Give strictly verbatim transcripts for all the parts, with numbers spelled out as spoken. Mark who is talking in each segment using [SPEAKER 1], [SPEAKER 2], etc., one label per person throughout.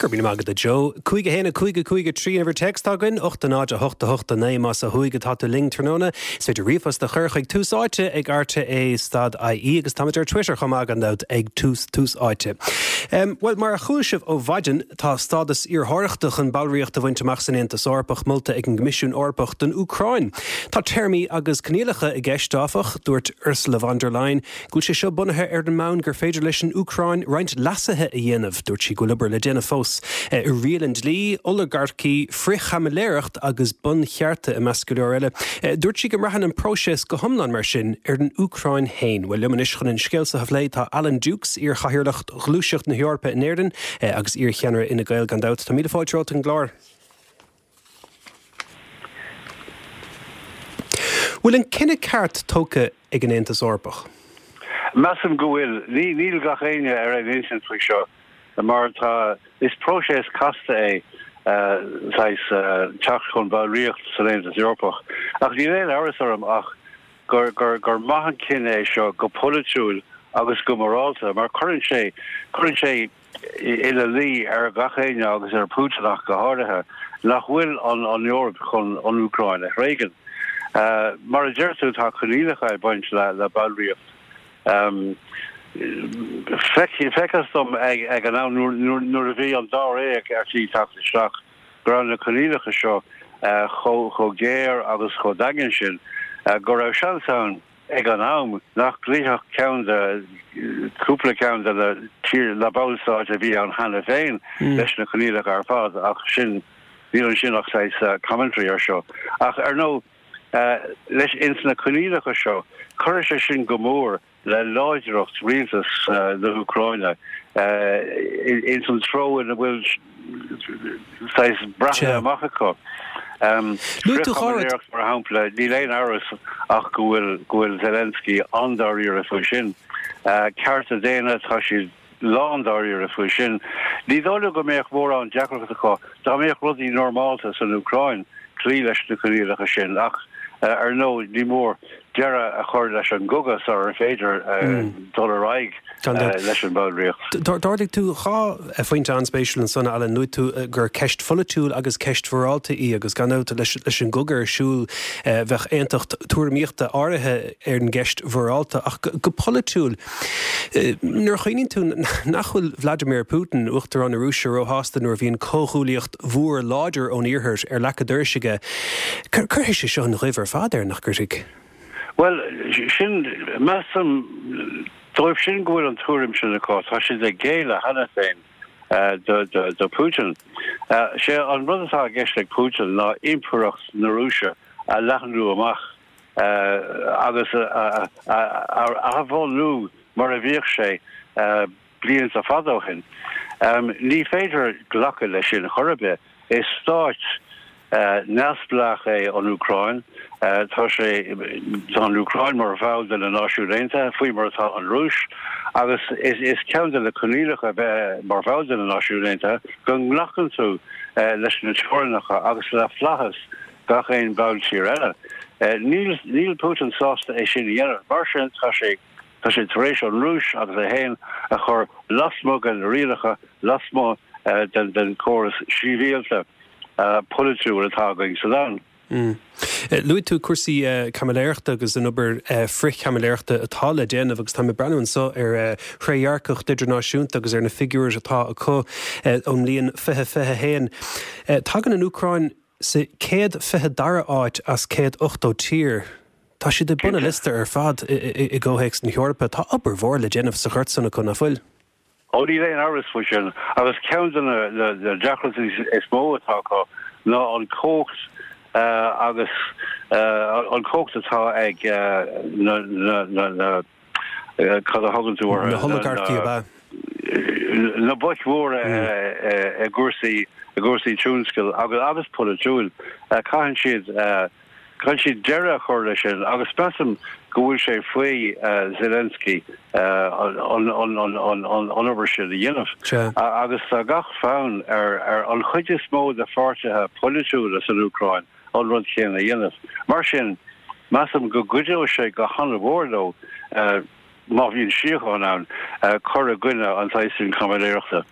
[SPEAKER 1] Go raibh míle maith agat a Joe. Cúig a haon a cúig a cúig a trí an uimhir téacs atá againn, ocht a náid a hocht a hocht a naoi más ó thuaidh atá tú linn tráthnóna. Is féidir ríomhphost a chur chuig Tús Áite ag rte stad IE agus táimid ar Twitter chomh maith gan dabht ag Tús Tús Áite. Um, well mar a chuala sibh ó mhaidin tá stádas iarrthóireachta chun ballraíocht a bhaint amach san Aontas Eorpach molta ag an gCoimisiún Eorpach don Úcráin. Tá téarmaí agus coinníollacha i gceist áfach, dúirt Ursula von der Leyen, go bhfuil sé seo bunaithe ar an mbonn gur féidir leis an Úcráin roinnt leasuithe a dhéanamh, dúirt sí go bhfuil obair le déanamh fós i riail an dlí, olagarcaí, frithchaimiléireacht agus bunchearta i measc go leor eile. Dúirt sí go mbraitheann an próiseas go hiomlán mar sin ar an Úcráin féin. Well liom anois chun an scéal seo a phlé tá Alan Dukes iar-chathaoirleach Ghluaiseacht na hEorpa in Éirinn agus iar-cheannaire Fhine Gael gan dabht. Tá míle fáilte romhat an gclár. Bhfuil an cinneadh ceart tógtha ag an Aontas Eorpach?
[SPEAKER 2] Measaim go bhfuil. Níl gach éinne ar aon intinn faoi seo mar tá is próiseas casta é saghas teacht chun ballraíocht san Aontas Eorpach. Ach níl aon amhras orm ach gur gur gur maith an cinneadh é seo go polaitiúil agus go morálta mar cuireann sé cuireann sé ina luí ar gach éinne agus ar Putin ach go háirithe nach bhfuil an an Eoraip chun an Úcráin a thréigean. Mar a deir tú tá coinníollacha ag baint le le ballraíocht. Feictear dom ag an am nuair a bhí an dáréag ar tí teacht isteach go raibh na coinníollacha seo chomh géar agus chomh daingean sin go raibh seans ann ag an am nach gcloífeadh ceann de cúpla ceann de na tír na ballstáit a bhí ann cheana féin leis na coinníollacha ar fad ach sin níl ansin ach saghas commentary ar seo. Ach ar ndóigh leis ins na coinníollacha seo cuirfidh sé sin go mór le láidreacht rialtas na hÚcráine ins an treo ina bhfuil saghas breathnaithe amach acu. Frithchaimiléireacht mar shampla, níl aon amhras ach go bhfuil go bhfuil Zelensky an-dáiríre faoi sin. Cearta daonna, tá siad lándáiríre faoi sin. Ní dóigh liom go mbeadh mórán deacracht acu dá mbeadh rudaí normálta san Úcráin cloí leis na coinníollacha sin ach ar ndóigh ní mór deireadh a chur leis an gcogadh sar ar féidir dul ar aghaidh leis an bhallraíocht.
[SPEAKER 1] D'ardaigh tú dhá phointe an-spéisiúil ansan, Alan. Luaigh tú gur ceist pholaitiúil agus ceist mhorálta í agus gan dabht leis an gcogadh ar siúl bheadh aontacht tuairimíochta áirithe ar an gceist mhorálta ach go polaitiúil nuair a chuimhníonn tú nach bhfuil Vladimir Putin, Uachtarán na Rúise, róshásta nuair a bhíonn comhghuaillíocht mhór láidir ón iarthar ar leac a dorais aige, cuirfidh sé seo an ghoimh ar fad air, nach gcuirfidh?
[SPEAKER 2] Bhuel, sin, measaim, dóibh sin go bhfuil an tuairim sin acu, tá siad ag géilleadh cheana féin do, do, do Putin. Sé an rud atá i gceist ag Putin ná impireacht na Rúise a leathnú amach agus a, a, a athbhunú mar a bhíodh sé blianta fada ó shin. Ní féidir glacadh leis sin chor ar bith. Is stát neamhspleách é an Úcráin. Tá sé, tá an Úcráin mar bhall de na Náisiúin Aontaithe, faoi mar atá an Rúis, agus is ceann de na coinníollacha bheith mar bhall de na Náisiúin Aontaithe go nglacann tú leis na teorainneacha agus le flaitheas gach aon bhalltír eile. Níl, níl Putin sásta é sin a dhéanamh. Mar sin, tá sé, tá sé tar éis an Rúis agus é féin a chur lasmuigh de na rialacha, lasmuigh den, den chóras sibhialta polaitiúil atá againn sa domhan.
[SPEAKER 1] Luaigh tú cúrsaí caimiléireachta agus an obair frith-chaimiléireachta atá le déanamh agus táim ag breathnú anseo ar Thrédhearcacht Idirnáisiúnta agus ar na figiúirí atá acu ón mbliain fiche fiche a haon. Tagann an Úcráin sa céad fiche dara áit as céad ochtó tír. Tá siad ag bun an liosta ar fad i gcomhthéacs na hEorpa. Tá obair mhór le déanamh sa ghort san acu, nach bhfuil?
[SPEAKER 2] Ó níl aon amhras faoi sin, agus ceann de na deacrachtaí is mó atá acu ná an chumhacht agus an chumhacht atá ag na, na, na, cad a thugann tú orthu?
[SPEAKER 1] Na holagarcaí ab ea?
[SPEAKER 2] Na boic mhóra i gcúrsaí, i gcúrsaí tionscail agus agus polaitiúil. Caitheann siad Caithfidh siad deireadh a chur leis sin agus measaim go bhfuil sé faoi Zelensky an obair sin a dhéanamh. Agus tá gach fonn ar an chuid is mó de pháirtithe polaitiúla san Úcráin an rud céanna a dhéanamh. Mar sin, measaim go gcuideoidh sé go han-mhór leo má bhíonn síocháin ann, cur i gcoinne an tsaghas sin caimiléireachta.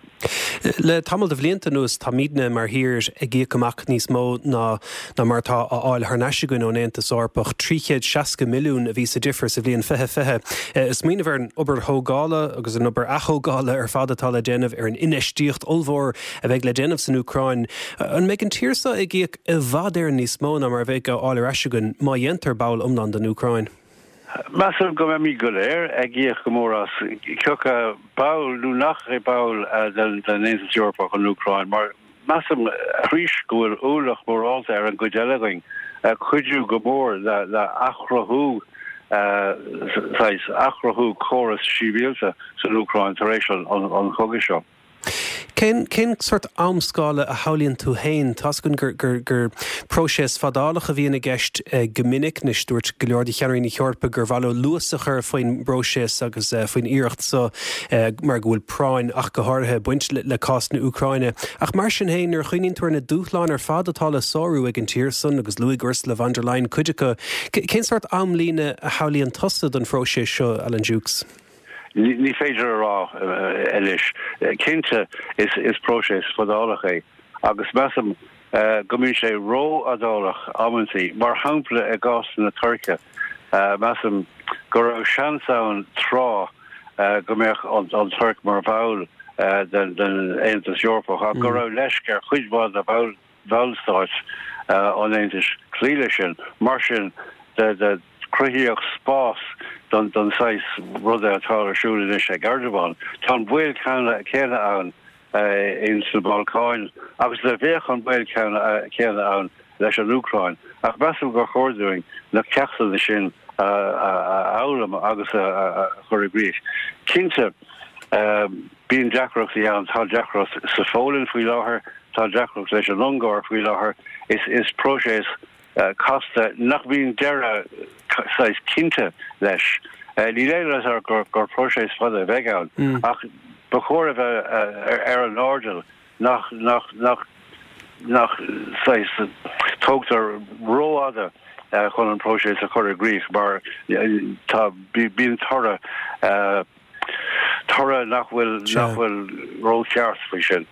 [SPEAKER 1] Le tamall de bhlianta anuas táimidne mar thír ag íoc amach níos mó ná ná mar atá á fháil thar n-ais againn ón Aontas Eorpach. trí chéad seasca milliún a bhí sa difear sa bhliain fiche fiche. Ag smaoineamh ar an obair thógála agus an obair athógála ar fad atá le déanamh ar an infheistíocht ollmhór a bheidh le déanamh san Úcráin, an mbeidh an tír seo ag íoc i bhfad Éireann níos mó ná mar a bheidh á fháil ar ais againn má dhéantar ball iomlán den Úcráin?
[SPEAKER 2] Measaim go mbeimid go léir ag íoc go mór as, cé acu ball nó nach é ball den Aontas Eorpach an Úcráin, mar measaim arís go bhfuil ualach morálta ar an gcuid eile againn cuidiú go mór le athchruthú saghas athchruthú córas sibhialta san Úcráin tar éis an chogaidh seo.
[SPEAKER 1] Cén cén sórt amscála a shamhlaíonn tú féin? Tá's againn gur gur gur próiseas fadálach a bhíonn i gceist go minic. Anois dúirt go leor de cheannairí na hEorpa gur mhaith leo luas a chur faoin bpróiseas agus faoin iarracht seo mar go bhfuil práinn ach go háirithe ag baint le cás na Úcráine. Ach mar sin féin, nuair a chuimhníonn tú ar na dúshláin ar fad atá le sárú ag an tír san, agus luaigh Ursula von der Leyen cuid acu, cén sórt amlíne a shamhlaíonn tusa don phróiseas seo, Alan Dukes?
[SPEAKER 2] Ní féidir a rá anois. Cinnte is próiseas fadálach é agus measaim go mbíonn sé rófhadálach amantaí. Mar shampla i gcás na Tuirce, measaim go raibh seans ann tráth go mbeadh an Tuirc mar bhall den Aontas Eorpach ach go raibh leisc ar chuid mhaith de bhallstáit an Aontais cloí leis sin. Mar sin de, cruthaíodh spás don don saghas ruda atá ar siúl anois ag Erdogan. Tá an baol céanna ann ins na Balcáin agus do bheadh an baol céanna ann leis an Úcráin. Ach measaim gur chóir dúinn na ceachtanna sin a fhoghlaim agus a chur i gcrích. Cinnte, bíonn deacrachtaí ann, tá deacracht sa Pholainn faoi láthair, tá deacracht leis an Ungáir faoi láthair. Is próiseas casta nach mbíonn deireadh saghas cinnte leis. Níl aon amhras gur gur próiseas fada a bheidh ann ach ba chóir a bheith ar an airdeall nach nach nach nach saghas tógtar rófhada chun an próiseas a chur i gcrích mar tá bíonn toradh toradh nach bhfuil nach bhfuil rócheart faoi sin.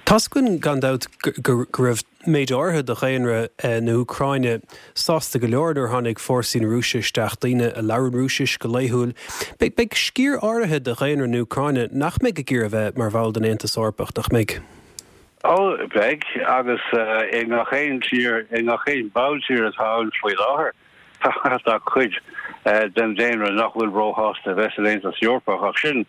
[SPEAKER 1] Tá's againn gan dabht go raibh méid áirithe de dhaonra na hÚcráine sásta go leor nuair a tháinig fórsaí na Rúise isteach, daoine a labhrann Rúisis go laethúil. Beidh sciar áirithe de dhaonra na hÚcráine nach mbeidh ag iarraidh a bheith mar bhall den Aontas Eorpach, nach mbeidh?
[SPEAKER 2] Ó, beidh, agus i ngach aon tír, i ngach aon bhalltír atá ann faoi láthair. Tá cuid den daonra nach bhfuil róshásta a bheith san Aontas Eorpach, ach sin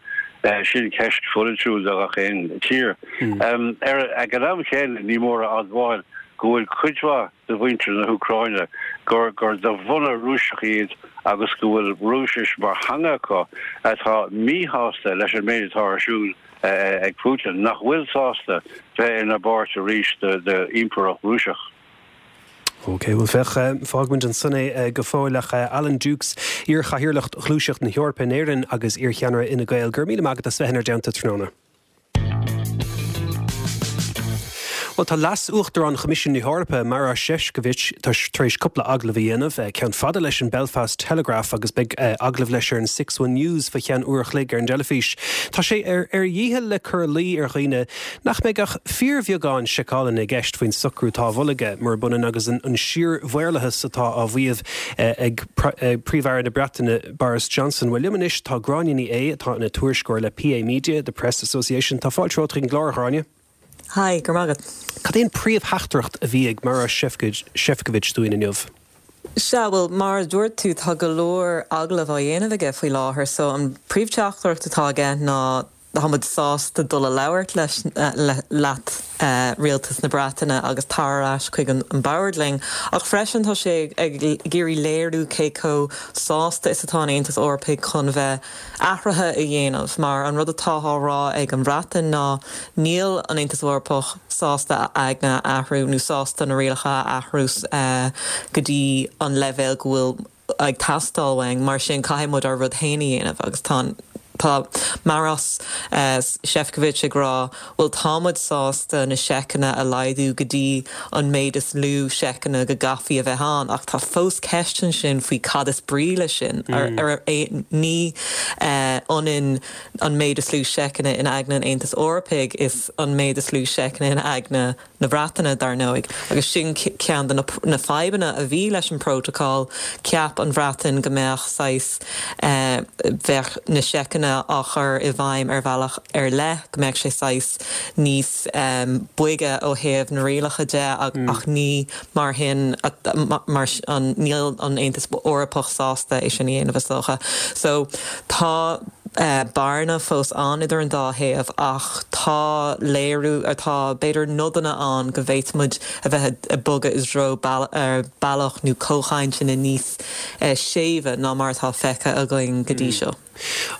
[SPEAKER 2] sin ceist pholaitiúil do gach aon tír. Ag an am chéanna, ní mór a admháil go bhfuil cuid mhaith de mhuintir na hÚcráine gur gur de bhunadh Rúiseach iad agus go bhfuil Rúisis mar theanga acu atá míshásta leis an méid atá ar siúl ag Putin, nach bhfuil sásta bheith ina bpáirt arís d'Impireacht Rúiseach.
[SPEAKER 1] Ok, bhuel féach, fágfaimid ansan é go fóill ach Alan Dukes, iar-chathaoirleach Ghluaiseacht na hEorpa in Éirinn agus iar-cheannaire Fhine Gael, go raibh míle maith agat as bheith inár dteannta tráthnóna. Bhuel, tá Leas-Uachtarán Choimisiún na hEorpa, Maroš Šefčovič, tar éis cúpla agallamh a dhéanamh, ceann fada leis an Belfast Telegraph agus beidh agallamh leis ar an Six One News faoi cheann uair a chloig ar an dteilifís. Tá sé ar a dhícheall le cur i luí ar dhaoine nach mbeidh ach fíorbheagán seiceálanna i gceist faoin socrú atá á mholadh aige, murab ionann agus an síormhaorlathas atá á mhaíomh ag Príomh-Aire na Breataine Boris Johnson. Bhuel, liom anois tá Gráinne Ní Aodha, atá ina tuairisceoir le PA Media, The Press Association. Tá fáilte romhat chuig an gclár, a Ghráinne.
[SPEAKER 3] Hi, go raibh maith agat.
[SPEAKER 1] Cad é an príomhtheachtaireacht a bhí ag Maroš Šefčovič dúinn inniu?
[SPEAKER 3] Sea, bhuel, mar a dúirt tú, tá go leor agallamh á dhéanamh aige faoi láthair, so an príomhtheachtaireacht atá aige ná tá muid sásta dul a labhairt leis, leat, Rialtas na Breataine agus tar ar ais chuig an bord linn. Ach freisin tá sé ag iarraidh léiriú cé chomh sásta is atá an Aontas Eorpaigh chun bheith athruithe a dhéanamh mar an rud atá á rá ag an Bhreatain ná níl an Aontas Eorpach sásta a aigne a athrú nó sásta na rialacha a athrú go dtí an leibhéal go bhfuil ag teastáil uainn, mar sin caithfidh muid ár rud féin a dhéanamh agus tá an Tá Maros Sefcovic ag rá bhuel tá muid sásta na seiceanna a laghdú go dtí an méid is lú seiceanna go gcaithfidh a bheith ann ach tá fós ceist ansin faoi cad is brí le sin mm. ar, ar, ní ionann an méid is lú seiceanna in aigne an Aontais Eorpaigh is an méid is lú seiceanna in aigne na Breataine dar ndóigh agus sin ceann de na, na fadhbanna a bhí leis an protocol cheap an Bhreatain go mbeadh saghas eh, bheadh na seiceanna á chur i bhfeidhm ar bhealach ar leith go mbeadh sé saghas níos um, boige ó thaobh na rialacha de ach, mm. ach ní mar hin mar an níl an Aontas Eorpach sásta é sin a dhéanamh is dócha. So tá uh, bearna fós ann idir an dá thaobh ach tá léiriú atá b'fhéidir nodanna ann go bhféadfaimid a bheith ag bogadh i dtreo bealach nó comhchainteanna níos uh, séimhe ná mar atá feicthe againn go dtí mm. seo.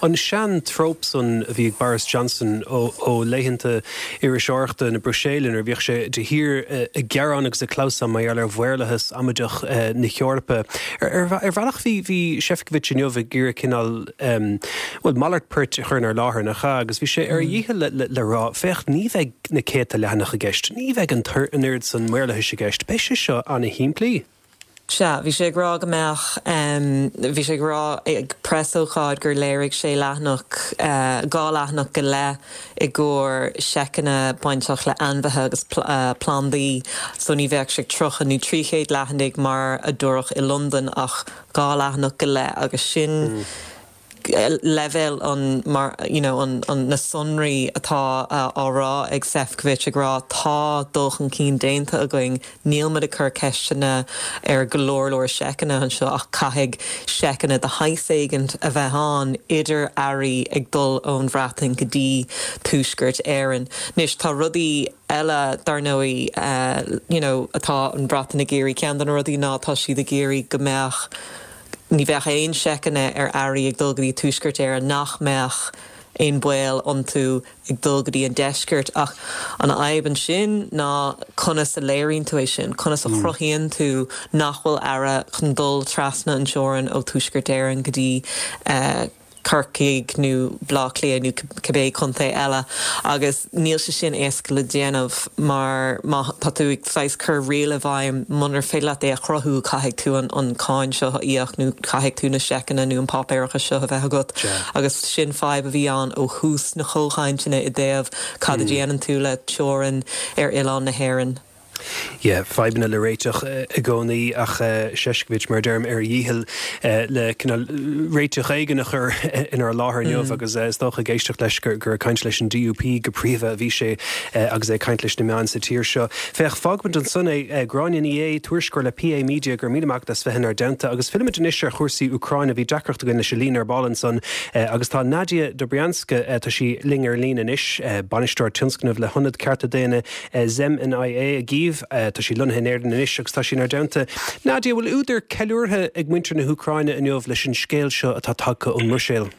[SPEAKER 1] An sean-trope san a bhí ag Boris Johnson ó, ó laethanta iriseoireachta na Bruiséile ar bhíodh sé de shíor ag gearán agus ag clamhsán mar ar mhaorlathas amaideach na hEorpa. Ar bhealach bhí bhí Sefcovic inniu ag iarraidh cineál well malairt poirt a chur inár láthair nach ea agus bhí sé ar a dhícheall le, le, le rá féach ní bheidh na céadta leathanach i gceist, ní bheidh an an oiread san maorlathais i gceist, Beidh sé seo an-shimplí.
[SPEAKER 3] Sea, bhí sé ag rá go mbeadh um, bhí sé ag rá ag preasócáid gur léirigh sé leathanach uh, dhá leathanach go leith i gcomhair seiceanna bainteach le ainmhithe agus pl uh, plandaí, so ní bheadh sé tríocha nó trí chéad leathanaigh mar a dúradh i Londain ach dhá leathanach go leith agus sin mm. leibhéal an mar you know, an, an na sonraí atá uh, á rá ag Sefcovic ag rá tá dul chun cinn déanta againn níl muid ag cur ceisteanna ar go leor leor seiceanna anseo ach caithfidh seiceanna de shaghas éigin a bheith ann idir earraí ag dul ón Bhreatain go dtí Tuaisceart Éireann. Anois tá rudaí eile dar ndóigh uh, you know, atá an Bhreatain ag iarraidh ceann de na rudaí ná tá siad ag iarraidh go mbeadh ní bheadh aon seiceanna ar earraí ag dul go dtí Tuaisceart Éireann nach mbeadh aon bhaol iontu ag dul go dtí an deisceart ach an fhadhb ansin ná conas a léiríonn tú é sin, conas a mm. chruthaíonn tú nach bhfuil earra chun dul trasna an teorainn ó Tuaisceart Éireann go dtí uh, Corcaigh nó Baile Átha Cliath nó cibé contae eile agus níl sé sin éasca le déanamh mar má tá tú ag saghas cur riail i bhfeidhm munar féidir leat é a chruthú caithfidh tú an, an cáin seo a íoc nó caithfidh tú na seiceanna nó an páipéarachas seo a bheith agat agus sin fadhb a bhí ann ó thús na comhchainteanna i dtaobh cad a mm. dhéanann tú le teorainn ar oileán na hÉireann.
[SPEAKER 1] Yeah, fadhbanna le réiteach i gcónaí ach Sefcovic mar deirim ar a dhícheall le réiteach éigin a chur inár láthair inniu mm. agus is dócha ag éisteacht leis gur gur caint leis an DUP go príomha a bhí sé agus é caint leis na meáin sa tír seo. Féach fágfaimid ansan é Gráinne Ní Aodha tuairisceoir le PA Media gur míle maith as bheith inár dteannta agus fillfimid anois ar chúrsaí Úcráine bhí deacracht againn leis an líne ar ball ansan agus tá Nadia Dobrianska tá sí linn ar líne anois bainisteoir tionscnamh le hIonad Cearta Daonna Zemnia i gCív tá sí lonnaithe in Éirinn anois agus tá sí inár dteannta. Nadia bhfuil údar ceiliúrtha ag muintir na hÚcráine inniu leis an scéal seo atá tagtha ón mBruiséil.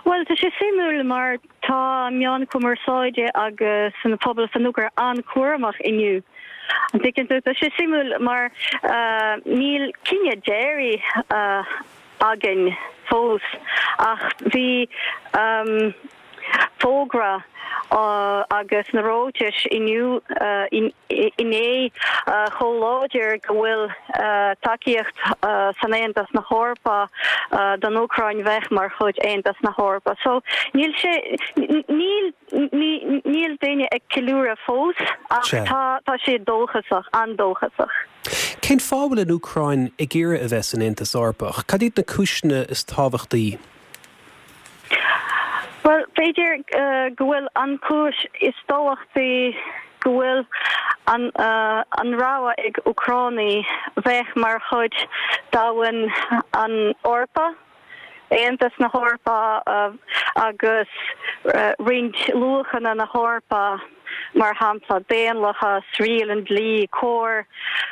[SPEAKER 4] Well tá sé suimiúil mar tá meáin chumarsáide agus an pobal san Úcráin an-chúramach inniu. An dtuigeann tú tá sé suimiúil mar uh, níl cinneadh deiridh uh, againn fós ach bhí um, fógra uh, agus na ráitis inniu uh, inné uh, chomh láidir go bhfuil uh, tacaíocht uh, san Aontas na hEorpa uh, don Úcráin bheith mar chuid Aontas na hEorpa. So níl sé níl níl daoine ag ceiliúradh fós ach tá tá sé dóchasach an-dóchasach.
[SPEAKER 1] Cén fáth a bhfuil an Úcráin ag iarraidh a bheith san Aontas Eorpach, Cad iad na cúiseanna is tábhachtaí?
[SPEAKER 4] Well b'fhéidir uh, go bhfuil an chúis is tábhachtaí go bhfuil an uh, an rogha ag Úcránaigh bheith mar chuid domhan an Eorpa Aontas na hEorpa uh, agus uh, roinnt luachanna na hEorpa mar shampla daonlathas riail an dlí cóir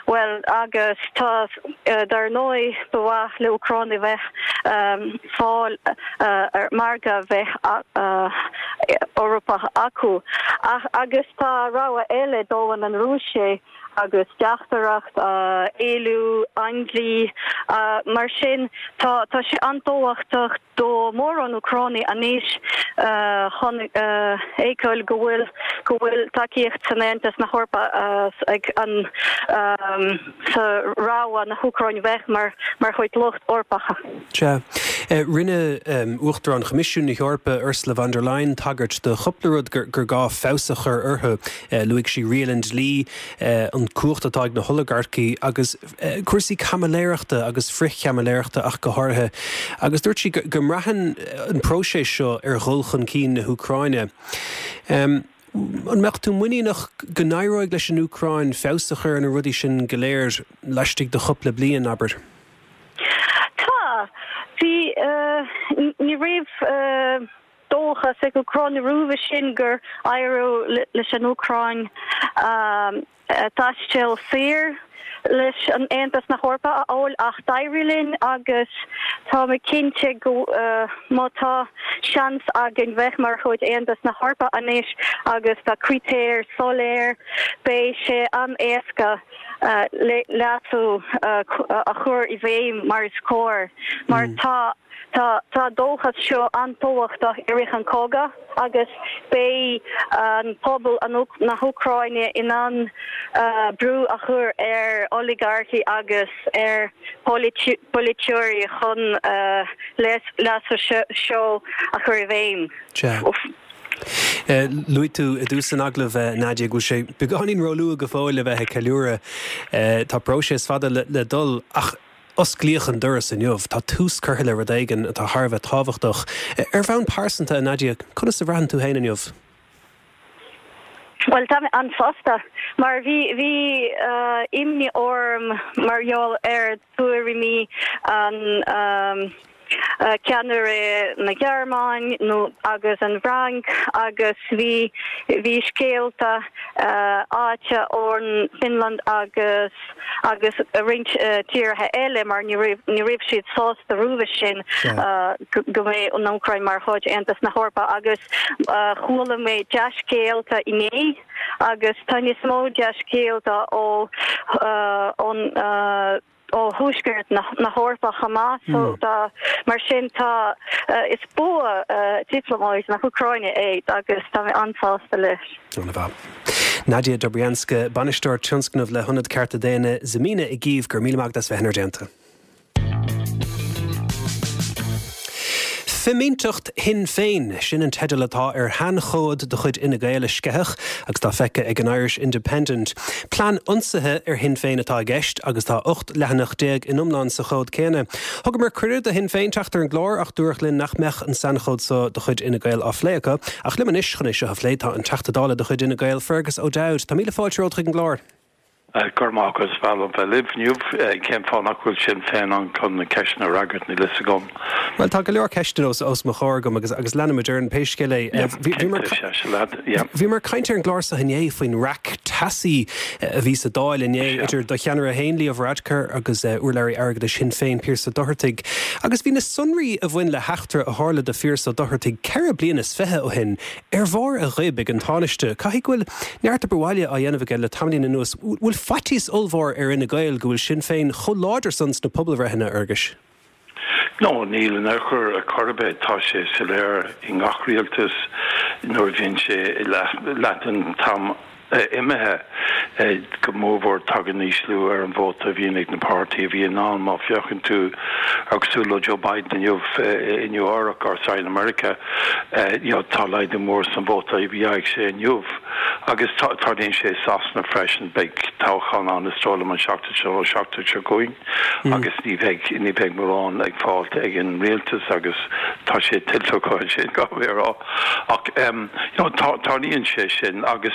[SPEAKER 4] well agus tá uh, dar ndóigh ba mhaith le Úcránaigh bheith um, fáil uh, ar margadh bheith uh, Eorpach acu ach agus tá rogha eile domhan an Rúise agus teachtaireacht éilliú aindlí mar sin tá tá sé an-tábhachtach do mórán Úcránaigh anois chun fheiceáil go bhfuil go bhfuil tacaíocht san Aontas na hEorpa ag an sa rogha na hÚcráine bheith mar mar chuid lucht Eorpacha.
[SPEAKER 1] Sea. Rinne Uachtarán Choimisiún na hEorpa Ursula von der Leyen tagairt do chúpla rud gur gur gá feabhas a chur orthu. Luaigh sí riail an dlí, an cumhacht atá ag na holagarcaí agus cúrsaí caimiléireachta agus frithchaimiléireachta ach go háirithe. Agus dúirt sí go mbraitheann an próiseas seo ar dhul chun cinn na hÚcráine. An mbeadh tú muiníneach go n-éireoidh leis an Úcráin feabhas a chur ar na rudaí sin go léir laistigh de chúpla bliain, abair?
[SPEAKER 4] Tá. Bhí, ní raibh dóchas ag Úcránaigh roimhe sin gur éireodh leis an Úcráin taisteal saor leis an Aontas na hEorpa a fháil ach d'éirigh linn agus tá mé cinnte go má tá seans againn bheith mar chuid Aontas na hEorpa anois agus tá critéir soiléir beidh sé an-éasca leasú a chur i bhfeidhm mar is cóir mar tá Tá tá dóchas seo an-tábhachtach i rith an cogadh agus beidh an pobal na hÚcráine in ann brú a chur ar oligarcaí agus ar polaiteoirí chun leasú seo a chur i bhfeidhm.
[SPEAKER 1] Sea. Luaigh tú i dtús an agallaimh, Nadia, go bhfuil sé beagáinín róluath go fóill le bheith ag ceiliúradh. Tá próiseas fada le dul ach Osclaíodh an doras inniu. Tá tús curtha le rud éigin atá thar a bheith tábhachtach. Ar bhonn pearsanta, a Nadia, conas a bhraitheann tú féin inniu?
[SPEAKER 4] Bhuel, tá mé an-sásta, mar bhí bhí imní orm mar gheall ar tuairimí an ceannaire na Gearmáin nó agus an Fhrainc agus bhí bhí scéalta áite ón Finland agus agus roinnt tíortha eile mar ní raibh ní raibh siad sásta roimhe sin go mbeidh an Úcráin mar chuid Aontas na hEorpa agus chuala mé dea-scéalta inné agus tá níos mó dea-scéalta ó ón ó thuaisceart na hEorpa chomh maith so tá mar sin tá is bua dioplómáid na hÚcráine é agus tá mé an-sásta leis.
[SPEAKER 1] An-mhaith. Nadia Dobrianska, Bainisteoir Tionscnamh le hIonad Cearta Daonna Zmina i gCív, go raibh míle maith agat as bheith inár dteannta. Fimínteacht Shinn Féin, sin an teideal atá ar shainchomhad de chuid Fhine Gael a sceitheadh agus atá feicthe ag an Irish Independent. Plean ionsaithe ar Shinn Féin atá i gceist agus tá ocht leathanach déag in iomlán sa chomhad céanna. Thugamar cuireadh do Shinn Féin teacht ar an gclár ach dúradh linn nach mbeadh an sainchomhad seo de chuid Fhine Gael á phlé acu. Ach liom anois chun é seo a phlé tá an Teachta Dála de chuid Fhine Gael, Fergus O'Dowd. Tá míle fáilte romhat chuig an gclár.
[SPEAKER 2] Go raibh maith agat, is breá liom bheith libh inniu. Cén fáth nach bhfuil Sinn Féin ann chun na ceisteanna a fhreagairt, níl fhios agam.
[SPEAKER 1] Bhuel, tá go leor ceisteanna os os mo chomhair agam agus agus leanfaimid orainn pé scéal é. Bhíomar ag caint ar an gclár seo inné faoin raic teasaí a bhí sa Dáil inné idir do cheannaire féin, Leo Varadkar, agus urlabhraí airgeadais Shinn Féin, Pearse Ó Dochartaigh. Agus bhí na sonraí a bhain le heachtra a tharla do Phearse Ó Dochartaigh ceithre bliana is fiche ó shin ar bharr a ghoib ag an Tánaiste. Caithfidh go bhfuil neart obair bhaile á dhéanamh aige le tamaillín anuas. Bhfuil faitíos ollmhór ar Fhine Gael go bhfuil Sinn Féin chomh láidir san sna pobalbhreitheanna, a Fhearghuis?
[SPEAKER 2] No, níl in aon chor ar chor ar bith. Tá sé soiléir i ngach rialtas nuair a bhíonn sé leath den t-am imithe, go mórmhór tagann ísliú ar an vóta a bhíonn ag na páirtí a bhíonn ann. Má féachann tú ar cosúil le Joe Biden inniu i Nua Eabhrac or sorry in America, you know, tá laghdú mór san vóta a bhí sé inniu. Agus tarlaíonn sé i Sasana freisin, beidh toghchán ann is dóigh liom an seachtain seo nó seachtain seo chugainn agus ní bheidh, ní bheidh mórán ag fáilt ag an rialtas agus tá sé tuillte acu ansin, caithfidh mé a rá. Ach you know tarlaíonn sé sin agus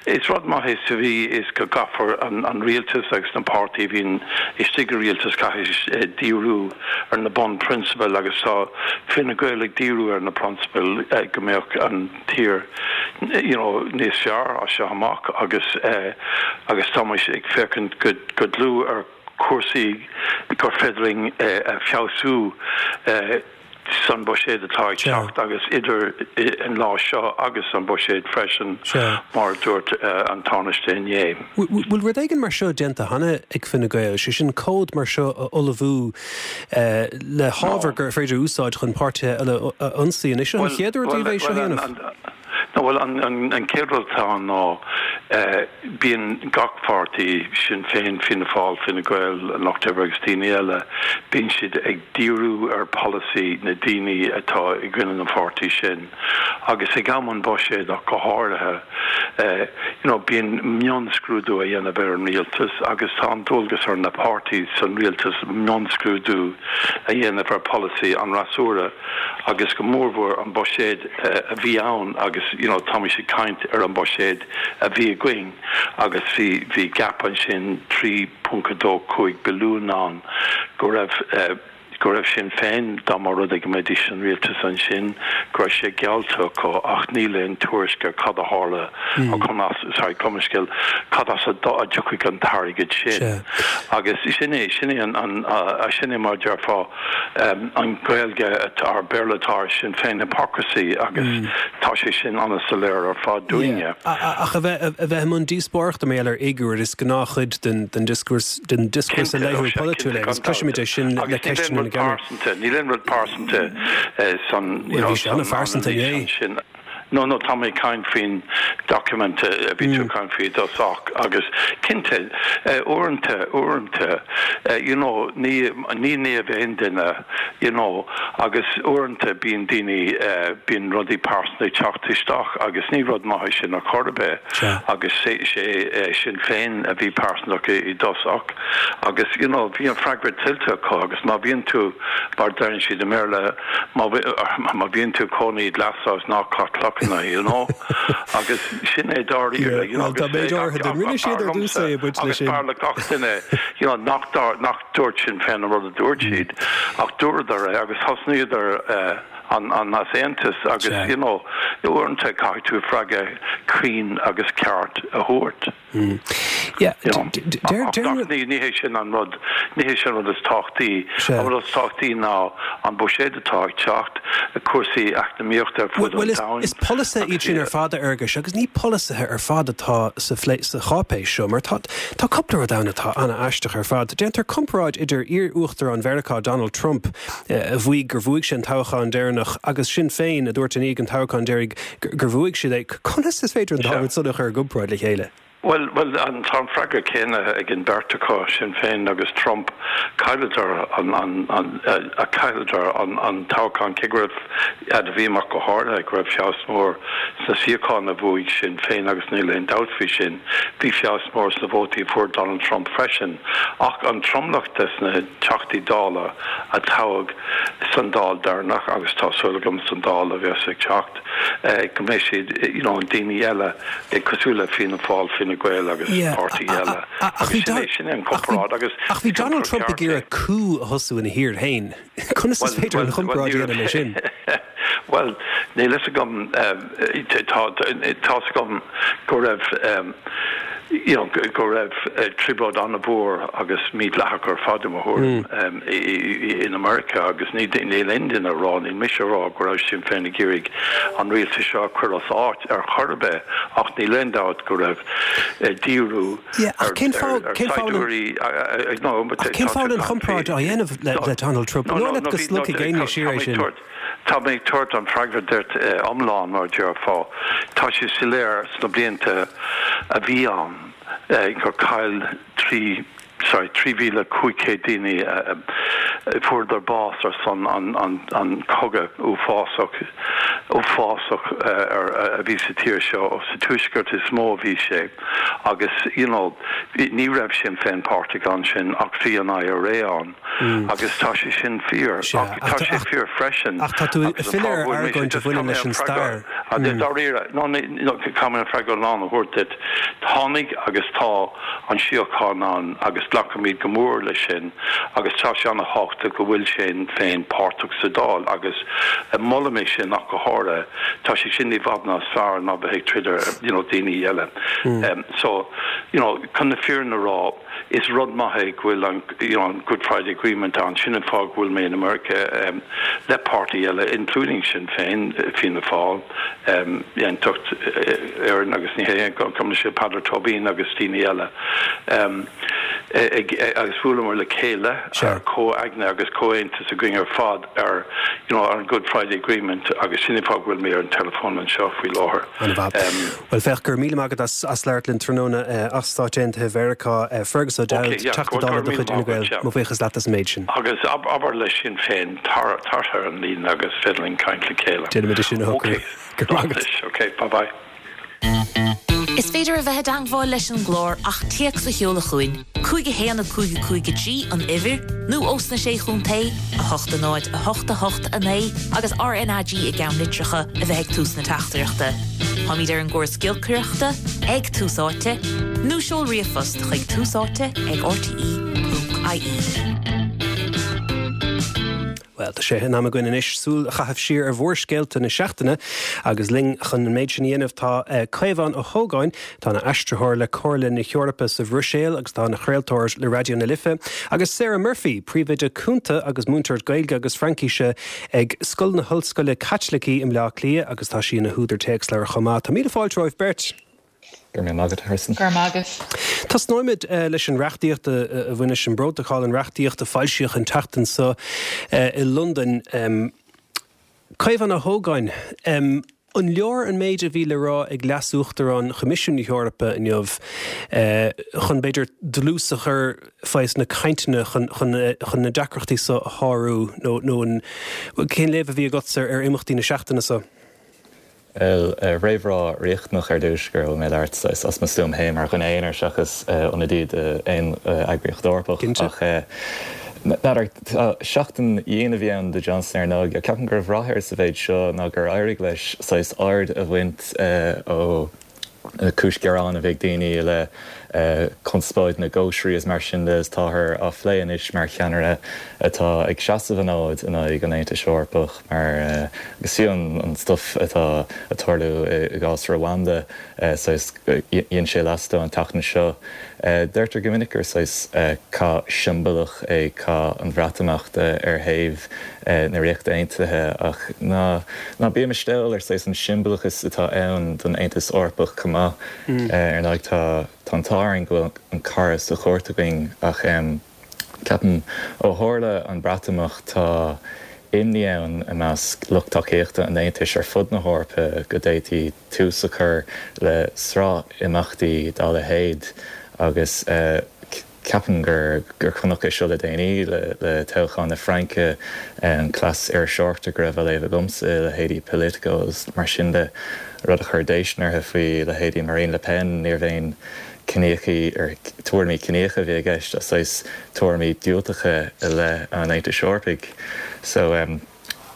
[SPEAKER 2] is rud maith é sa mhí is go gcaithfear an rialtas agus na páirtí a bhíonn istigh i rialtas caithfidh díriú ar na bunphrionsabail agus tá Fine Gael ag díriú ar na prionsabail go mbeadh an tír you know níos fearr as seo amach agus eh agus tá muid ag féachaint go go dlúth ar chúrsaí gur féidir linn eh a feabhsú eh san buiséad atá ag teacht agus idir an lá seo agus an buiséad freisin mar dúirt an Tánaiste inné.
[SPEAKER 1] Bhfuil rud éigin mar seo déanta cheana ag Fine Gael, sé sin comhad mar seo a ullmhú le hábhar gur féidir úsáid chun páirtithe eile a ionsaí an é seo an chéad uair daoibh é seo a dhéanamh?
[SPEAKER 2] No bhuel an an chéad rud atá ann ná bíonn gach páirtí, Sinn Féin, Fianna Fáil, Fine Gael, an Lucht Oibre agus daoine eile, bíonn siad ag díriú ar polasaí na daoine atá i gcoinne na pháirtí sin agus ag am an buiséad ach go háirithe you know bíonn mionscrúdú a dhéanamh ar an rialtas agus tá an dualgas ar na páirtí san rialtas mionscrúdú a dhéanamh ar polasaí an fhreasúra agus go mórmhór an buiséad a bhí ann agus you know táimid ag caint ar an buiséad a bhí againn agus bhí bhí gap ansin trí ponc a dó cúig billiún ann go raibh go raibh Sinn Féin dá mba rud é go mbeidís san rialtas ansin go raibh sé geallta acu ach níl aon tuairisc ar cad a tharla mm. conas sorry gabh mo leithscéal cad as a dtiocfaidh an t-airgead sin agus sin é sin é an an sin é mar déarfá an Gaeilge ar Béarla atá Sinn Féin hypocrisy agus mm. tá sé sin an-soiléir ar fad dúinne.
[SPEAKER 1] Ach a bheith a bheith i mbun díospóireachta mar gheall ar fhigiúir is gnáthchuid den den discourse den discourse laethúil polaitiúil agus cloisimid é sin le ceisteanna na
[SPEAKER 2] pearsanta níl aon rud pearsanta san
[SPEAKER 1] an-phearsanta é.
[SPEAKER 2] sin. No no tá mé ag caint faoin document a bhí tú caint faoi dosach agus cinnte uaireanta uaireanta you know ní ní naomh aon duine you know agus uaireanta bíonn daoine bíonn rudaí pearsanta ag teacht isteach agus ní rud maith sin ar chor ar bith agus sé sé Sinn Féin a bhí pearsanta i dtosach agus you know bhí an freagra tuillte acu agus má bhíonn tú mar deireann siad i mBéarla má má bhíonn tú cónaí glasshouse ná caith clochanna you know agus sin é dáiríre you know
[SPEAKER 1] Tá méid áirithe den rinne siad ar dtús é baint leis sin.
[SPEAKER 2] Agus b'fhearr le gach duine you know nach nach dúirt Sinn Féin an rud a dúirt siad ach dúradar é agus thosnaíodar an an easaontas agus you know uaireanta caithfidh tú freagra cruinn agus ceart a thabhairt.
[SPEAKER 1] Mm. Yeah,
[SPEAKER 2] ní ní hé sin an rud ní hé sin rud is tábhachtaí an rud is tábhachtaí ná an buiséad atá ag teacht cúrsaí eacnamaíochta ar fud an domhain.
[SPEAKER 1] Is polasaithe iad sin ar fad a Fhearghuis agus ní polasaithe ar fad atá sa sa cháipéis seo mar tá tá cúpla rud ann atá an-aisteach ar fad. Déantar comparáid idir iar-uachtarán Mheiriceá Donald Trump a mhaígh gur bhuaigh sé an toghchán deireanach agus Sinn Féin a dúirt i ndiaidh an toghcháin deiridh gur bhuaigh siad é. Conas is féidir an dá rud san a chur i gcomparáid le chéile?
[SPEAKER 2] Bhuel, bhuel, an tá an freagra céanna ag an beirt acu, Sinn Féin agus Trump, chailleadar an, an, an, a chailleadar an, an toghchán cé go raibh, fhad a bhí amach go háirithe, go raibh feabhas mór sna suíocháin a bhuaigh Sinn Féin agus níl aon dabht faoi sin. Bhí feabhas mór sna vótaí a fuair Donald Trump freisin. Ach an tromlach des na Teachtaí Dála a toghadh san Dáil deireanach agus tá súil agam san Dáil a bheas ag teacht, go mbeidh siad, you know, daoine eile cosúil le Fianna Fáil, Fine Gael agus páirtí eile.
[SPEAKER 1] Ach bhí
[SPEAKER 2] sin é an comparáid agus
[SPEAKER 1] Ach bhí Donald Trump ag iarraidh coup a thosú ina thír féin. Conas is féidir an chomparáid a dhéanamh leis sin?
[SPEAKER 2] Bhuel, níl fhios agam, tá tá's agam go raibh you know, go raibh trioblóid an-mhór agus mídhleathach ar fad i mo thuairim in America agus ní níl aon duine ag rá, níl mise ag rá go raibh Sinn Féin ag iarraidh an rialtas seo a chur as áit ar chor ar bith ach níl aon dabht go raibh díriú
[SPEAKER 1] ar saighdiúirí Cén fáth an chomparáid á dhéanamh le Donald Trump? An dóigh leat go slogfaidh éinne siar é sin?
[SPEAKER 2] Tá mé ag tabhairt an freagra duit iomlán mar a déarfá. Tá sé soiléir sna blianta a bhí ann gur chaill trí sorry trí mhíle cúig chéad daoine fuaireadar bás ar son an an an cogadh uafásach uafásach ar a bhí sa tír seo sa tuaisceart is mó a bhí sé agus you know ní raibh Sinn Féin páirteach ansin ach bhí an I R A ann. Agus tá sé sin fíor. Ach tá sé fíor freisin.
[SPEAKER 1] Ach tá tú ag filleadh ar argóint a bhaineann leis an stair.
[SPEAKER 2] Dáiríre, no caithfidh mé an freagra lán a thabhairt duit. Tháinig agus tá an síocháin ann agus glacaimid go mór leis sin agus tá sé an-tábhachtach go bhfuil Sinn Féin páirteach sa Dáil agus molaim é sin ach go háirithe. Tá sé sin i bhfad níos fearr ná bheith ag troid ar you know daoine eile. So, you know, chun na fírinne a rá,
[SPEAKER 5] Is rud maith é go bhfuil an you know, an Good Friday Agreement ann sin an fáth go bhfuil mé in America um, le páirtí eile including Sinn Féin Fianna Fáil um, Aontacht Éireann agus ní hé cum sé Peadar Tóibín agus daoine eile. Um, ag, agus bhuaileamar le chéile comhaigne agus comhaontas againn ar fad ar you know, an Good Friday Agreement agus sin fáth go bhfuil mé ar an telefón anseo faoi láthair.
[SPEAKER 1] Um, well féach go raibh míle maith agat as as labhairt linn tráthnóna uh, as Stáit Aontaithe Mheiriceá uh, Fergus O'Dowd Teachta Dála de chuid Fhine Gael mo bhuíochas leat as an méid sin.
[SPEAKER 5] Agus ab abair le Sinn Féin tar tar ar an líne agus féidir linn caint le chéile.
[SPEAKER 1] Déanfaimid sin a
[SPEAKER 5] Okay. Okay, bye bye.
[SPEAKER 6] Is féidir a bheith i dteagmháil leis an gclár ach téacs a sheoladh chugainn, cúig a haon a cúig a cúig a trí an uimhir, nó ós na sé chontae a hocht a náid a hocht a hocht a naoi agus RnaG i gceannlitreacha a bheith ag tús na teachtaireachta. Táimid ar an gcóras giolcaireachta ag Tús Áite, nó seol ríomhphost chuig Tús Áite ag rte.ie.
[SPEAKER 1] Well, tá sé in am againn anois súil a chaitheamh siar ar mhórscéalta na seachtaine agus linn chun an méid sin a dhéanamh tá uh, Caomhán Ó hÓgáin tá ina aistritheoir le Comhairle na hEorpa sa Bhruiséil agus tá ina chraoltóir le Raidió na Life, agus Sarah Murphy, príomhoide cúnta agus múinteoir Gaeilge agus Fraincise ag Scoil na hOllscoile Caitlicí i mBleá Cliath agus tá sí ina húdar téacsleabhar chomh maith. Tá míle fáilte romhaibh beirt.
[SPEAKER 7] Gur mé agad Harrison.
[SPEAKER 8] Gur magus.
[SPEAKER 1] Tosnóimid uh, leis an reachtaíocht a bhain leis an bprótacal an reachtaíocht a foilsíodh an tseachtain seo uh, i Londain. Um, Caomhán Ó hÓgáin, um, an leor an méid a bhí le rá ag leas-uachtarán Choimisiún na hEorpa inniu uh, chun b'fhéidir dlús a chur faoi na cainteanna chun, chun, chun na deacrachtaí seo a shárú nó nó an cén léamh a bhí agatsa ar imeachtaí na seachtaine seo.
[SPEAKER 7] Réamhrá riachtanach ar dtús gur mé leart as mo stuaim féin mar dhuine aonair seachas ionadaí aon eagraíocht Eorpach ach N'fheadar seachtain dhian a bhí ann do Johnson ar ndóigh, ceapaim go raibh rath air sa mhéid seo ná gur éirigh leis saghas aird a bhaint ó cúis gearán a bheidh daoine le conspóid na gcóisirí is mar sin de is táthar á phlé anois mar cheannaire atá ag seasamh an fhóid in aghaidh an Aontais Eorpach mar agus fiú an stuff atá ag tarlú i gcás Rwanda saghas dhein sé leas dó an tseachtain seo. Deirtear go minic gur saghas cath siombalach é cath an Bhreatimeachta ar thaobh na Ríochta Aontaithe ach ná ná bímis dall ar saghas an siombalachas atá ann don Aontas Eorpach chomh maith ar ndóigh tá tá an t-ádh orainn go bhfuil an cara sa chúirt againn ach ceapaim ó tharla an Breatimeacht tá imní ann i measc lucht tacaíochta an Aontais ar fud na hEorpa go d'fhéadfaí tús a chur le sraith imeachtaí dá leithéid agus ceapaim gur gur chonac é seo le déanaí le le toghchán na Fraince an cleas iriseoireachta go raibh á léamh agamsa leithéidí Politico agus mar sin de rud a chuir déistin orthu faoi leithéidí Marine Le Pen níorbh aon ciníochaí ar tuairimí ciníocha a bhí i gceist ach saghas tuairimí diúltacha i leith an Aontais Eorpaigh. So um,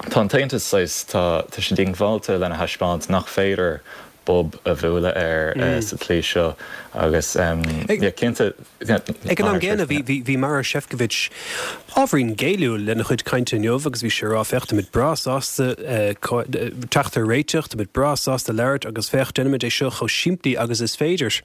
[SPEAKER 7] tá an tAontas saghas tá tá sé diongbháilte lena thaispeáint nach féidir bob a bhualadh air mm. uh, sa tslí seo agus um, cinnte
[SPEAKER 1] Ag an am gcéanna bhí Maroš Šefčovič ábhairín géilliúil lena chuid cainte inniu agus bhí sé ag rá féach táimid breá sásta teacht ar réiteach, táimid breá sásta labhairt agus féach déanfaimid é seo chomh simplí agus is féidir.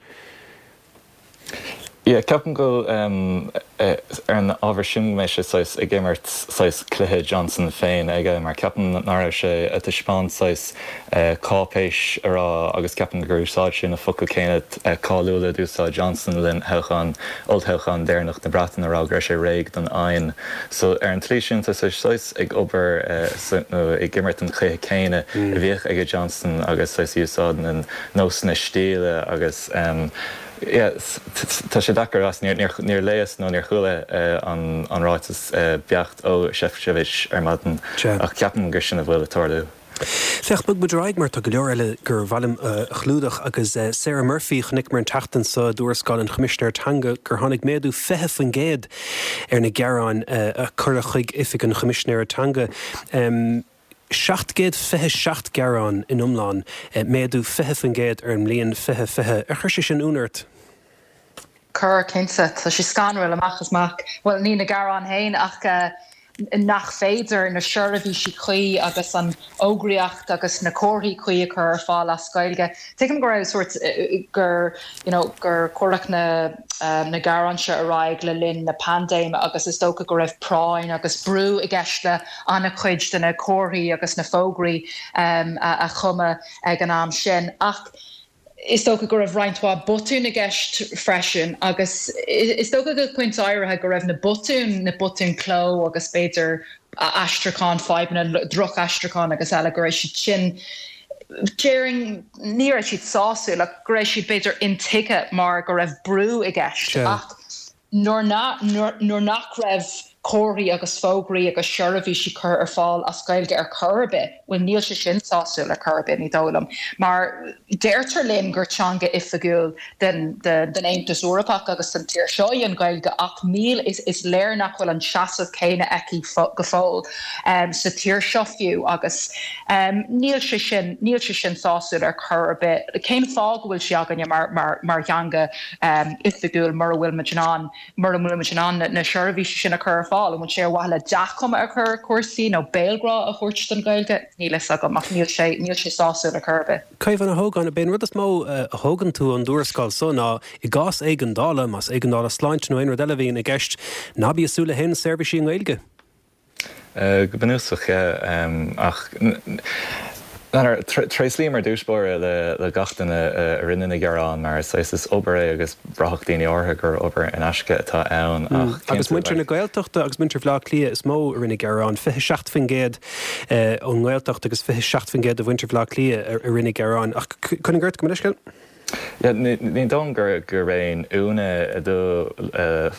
[SPEAKER 7] Yeah, ceapaim go um, ar an ábhar sin mé sé saghas ag imirt saghas cluiche Johnson féin aige mar ceapaim nach raibh sé ag taispeáint saghas uh, cáipéis a rá agus ceapaim gur úsáid sé na focail céanna uh, cáiliúla d'úsáid Johnson le linn thoghchán olltoghchán deireanach na Breataine a rá go raibh sé réidh don fhoighne. So ar an tslí sin tá sé saghas ag obair uh, nó ag imirt an cluiche céanna mm. a bhíodh ag Johnson agus saghas úsáid na nósanna stíle agus um, Tá sé deacair as níor léas nó níor chuala an an ráiteas beacht ó Šefčovič ar maidin ach ceapaim gur sin a bhfuil ag tarlú.
[SPEAKER 1] Féach bogfaidh muid ar aghaidh mar tá go leor eile gur mhaith liom a chlúdach agus Sarah Murphy chonaiceamar an tseachtain seo i dtuarascáil an Choimisinéir Teanga gur tháinig méadú fiche faoin gcéad ar na gearáin a cuireadh chuig oifig an Choimisinéara Teanga. seacht gcéad fiche seacht gearán in iomlán, méadú fiche faoin gcéad ar an mbliain fiche fiche. Ar chuir sé sin ionadh ort?
[SPEAKER 8] Chuir cinnte tá sé scanrúil amach is amach. Well ní na gearáin féin ach uh, nach féidir na seirbhísí cuí agus an fhógraíocht agus na comharthaí cuí a chur ar fáil as Gaeilge. Tuigim go raibh sort gur you know, gur cuireadh na um, na gearáin seo ar aghaidh le linn na paindéime agus is dócha go raibh práinn agus brú i gceist le an-chuid de na comharthaí agus na fógraí um, a, a chumadh ag an am sin. Ach is dócha go raibh roinnt mhaith botún i gceist freisin agus is dócha go pointe áirithe go raibh na botúin na botúin cló agus b'fhéidir aistriúchán fadhbanna drochaistriúchán agus eile go raibh siad sin déarfainn ní raibh siad sásúil ach go raibh siad b'fhéidir intuigthe mar go raibh brú i gceist ach nuair nach raibh comharthaí agus fógraí agus seirbhísí curtha ar fáil as Gaeilge ar chor ar bith, bhuel níl sé sin sásúil ar chor ar bith ní dóigh liom. Mar deirtear linn gur teanga oifigiúil den, den, den Aontas Eorpach agus den tír seo í an Ghaeilge ach níl is, is léir nach bhfuil an seasamh céanna aici go fóill um, sa tír seo fiú agus um, níl sé sin níl sé sin sásúil ar chor ar bith. Cén fáth go bhfuil sí againne mar, mar, mar theanga um, oifigiúil mura bhfuil muid in ann mura bhfuil muid in ann na, na seirbhísí sin a chur ar fáil an bhfuil sé ar mhaithe le dea-chuma a chur cúrsaí nó béalghrá a thabhairt don Ghaeilge níl a fhios agam ach níl sé níl sé sásúil ar chor ar bith.
[SPEAKER 1] Caomhán Ó hÓgáin b'é an rud is mó a thógann tú ón dtuarascáil so ná i gcás éigeandála más éigeandála sláinte nó aon rud eile a bhíonn i gceist ná bí ag súil le haon seirbhísí i nGaeilge.
[SPEAKER 7] Go bunúsach ach Tréaslaím ar dtús báire le gach duine a rinne na gearáin mar is is obair é agus braithfidh daoine orthu gur obair in aisce atá ann
[SPEAKER 1] ach Agus muintir na Gaeltachta agus muintir Bhaile Átha Cliath is mó a rinne gearán fiche seacht faoin gcéad ón nGaeltacht agus fiche seacht faoin gcéad de mhuintir Bhaile Átha Cliath a rinne gearán ach chun gort go leisceil?
[SPEAKER 7] Ní dóigh gur gur aon ionadh do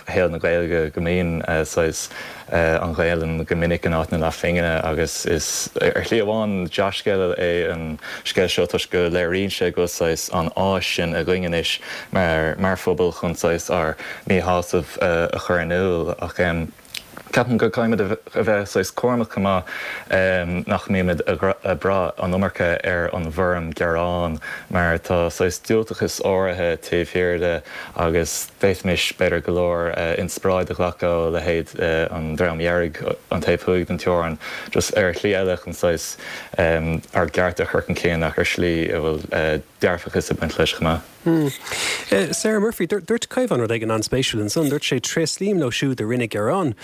[SPEAKER 7] shaol na Gaeilge go mbíonn saghas an Ghaelainn go minic in áit na leathphingine agus is ar shlí amháin dea-scéal é an scéal seo toisc go léiríonn sé go saghas an áis sin againn anois mar mar phobal chun saghas ár míshásamh a chur in iúl ach Ceapaim go gcaithfimid a bheith saghas cúramach chomh maith nach mbímid ag brath an iomarca ar an bhfoirm gearán mar tá saghas diúltachas áirithe taobh thiar de agus d'fhéadfaimis b'fhéidir go leor inspioráid a ghlacadh ó leithéid an Dream Dhearg an taobh thuaidh den teorainn just ar shlí eile chun saghas ár gcearta a chur chun cinn ach ar shlí a bhfuil dearfachas ag baint leis chomh maith.
[SPEAKER 1] Sarah Murphy, dúirt Caomhán rud éigin an-spéisiúil ansan, dúirt sé tréaslaím leo siúd a rinne gearán.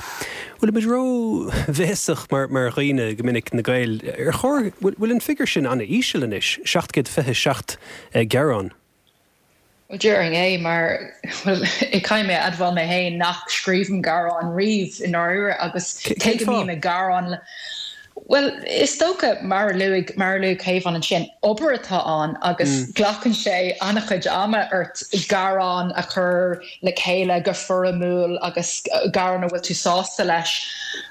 [SPEAKER 1] Bhfuil muid ró-bhéasach mar mar dhaoine go minic na Gaeil ar chóir bhfuil an figiúr sin an-íseal anois, seacht gcéad fiche seacht gearán?
[SPEAKER 8] Well déarfainn é mar caithfidh mé a admháil mé féin nach scríobhaim gearán riamh i ndáiríre agus cé go mbím ag gearán Well is dócha mar a luaigh mar a luaigh Caomhán ansin obair atá ann agus glacann sé an-chuid ama ort gearán a chur le chéile go foirmiúil agus gearán a bhfuil tú sásta leis.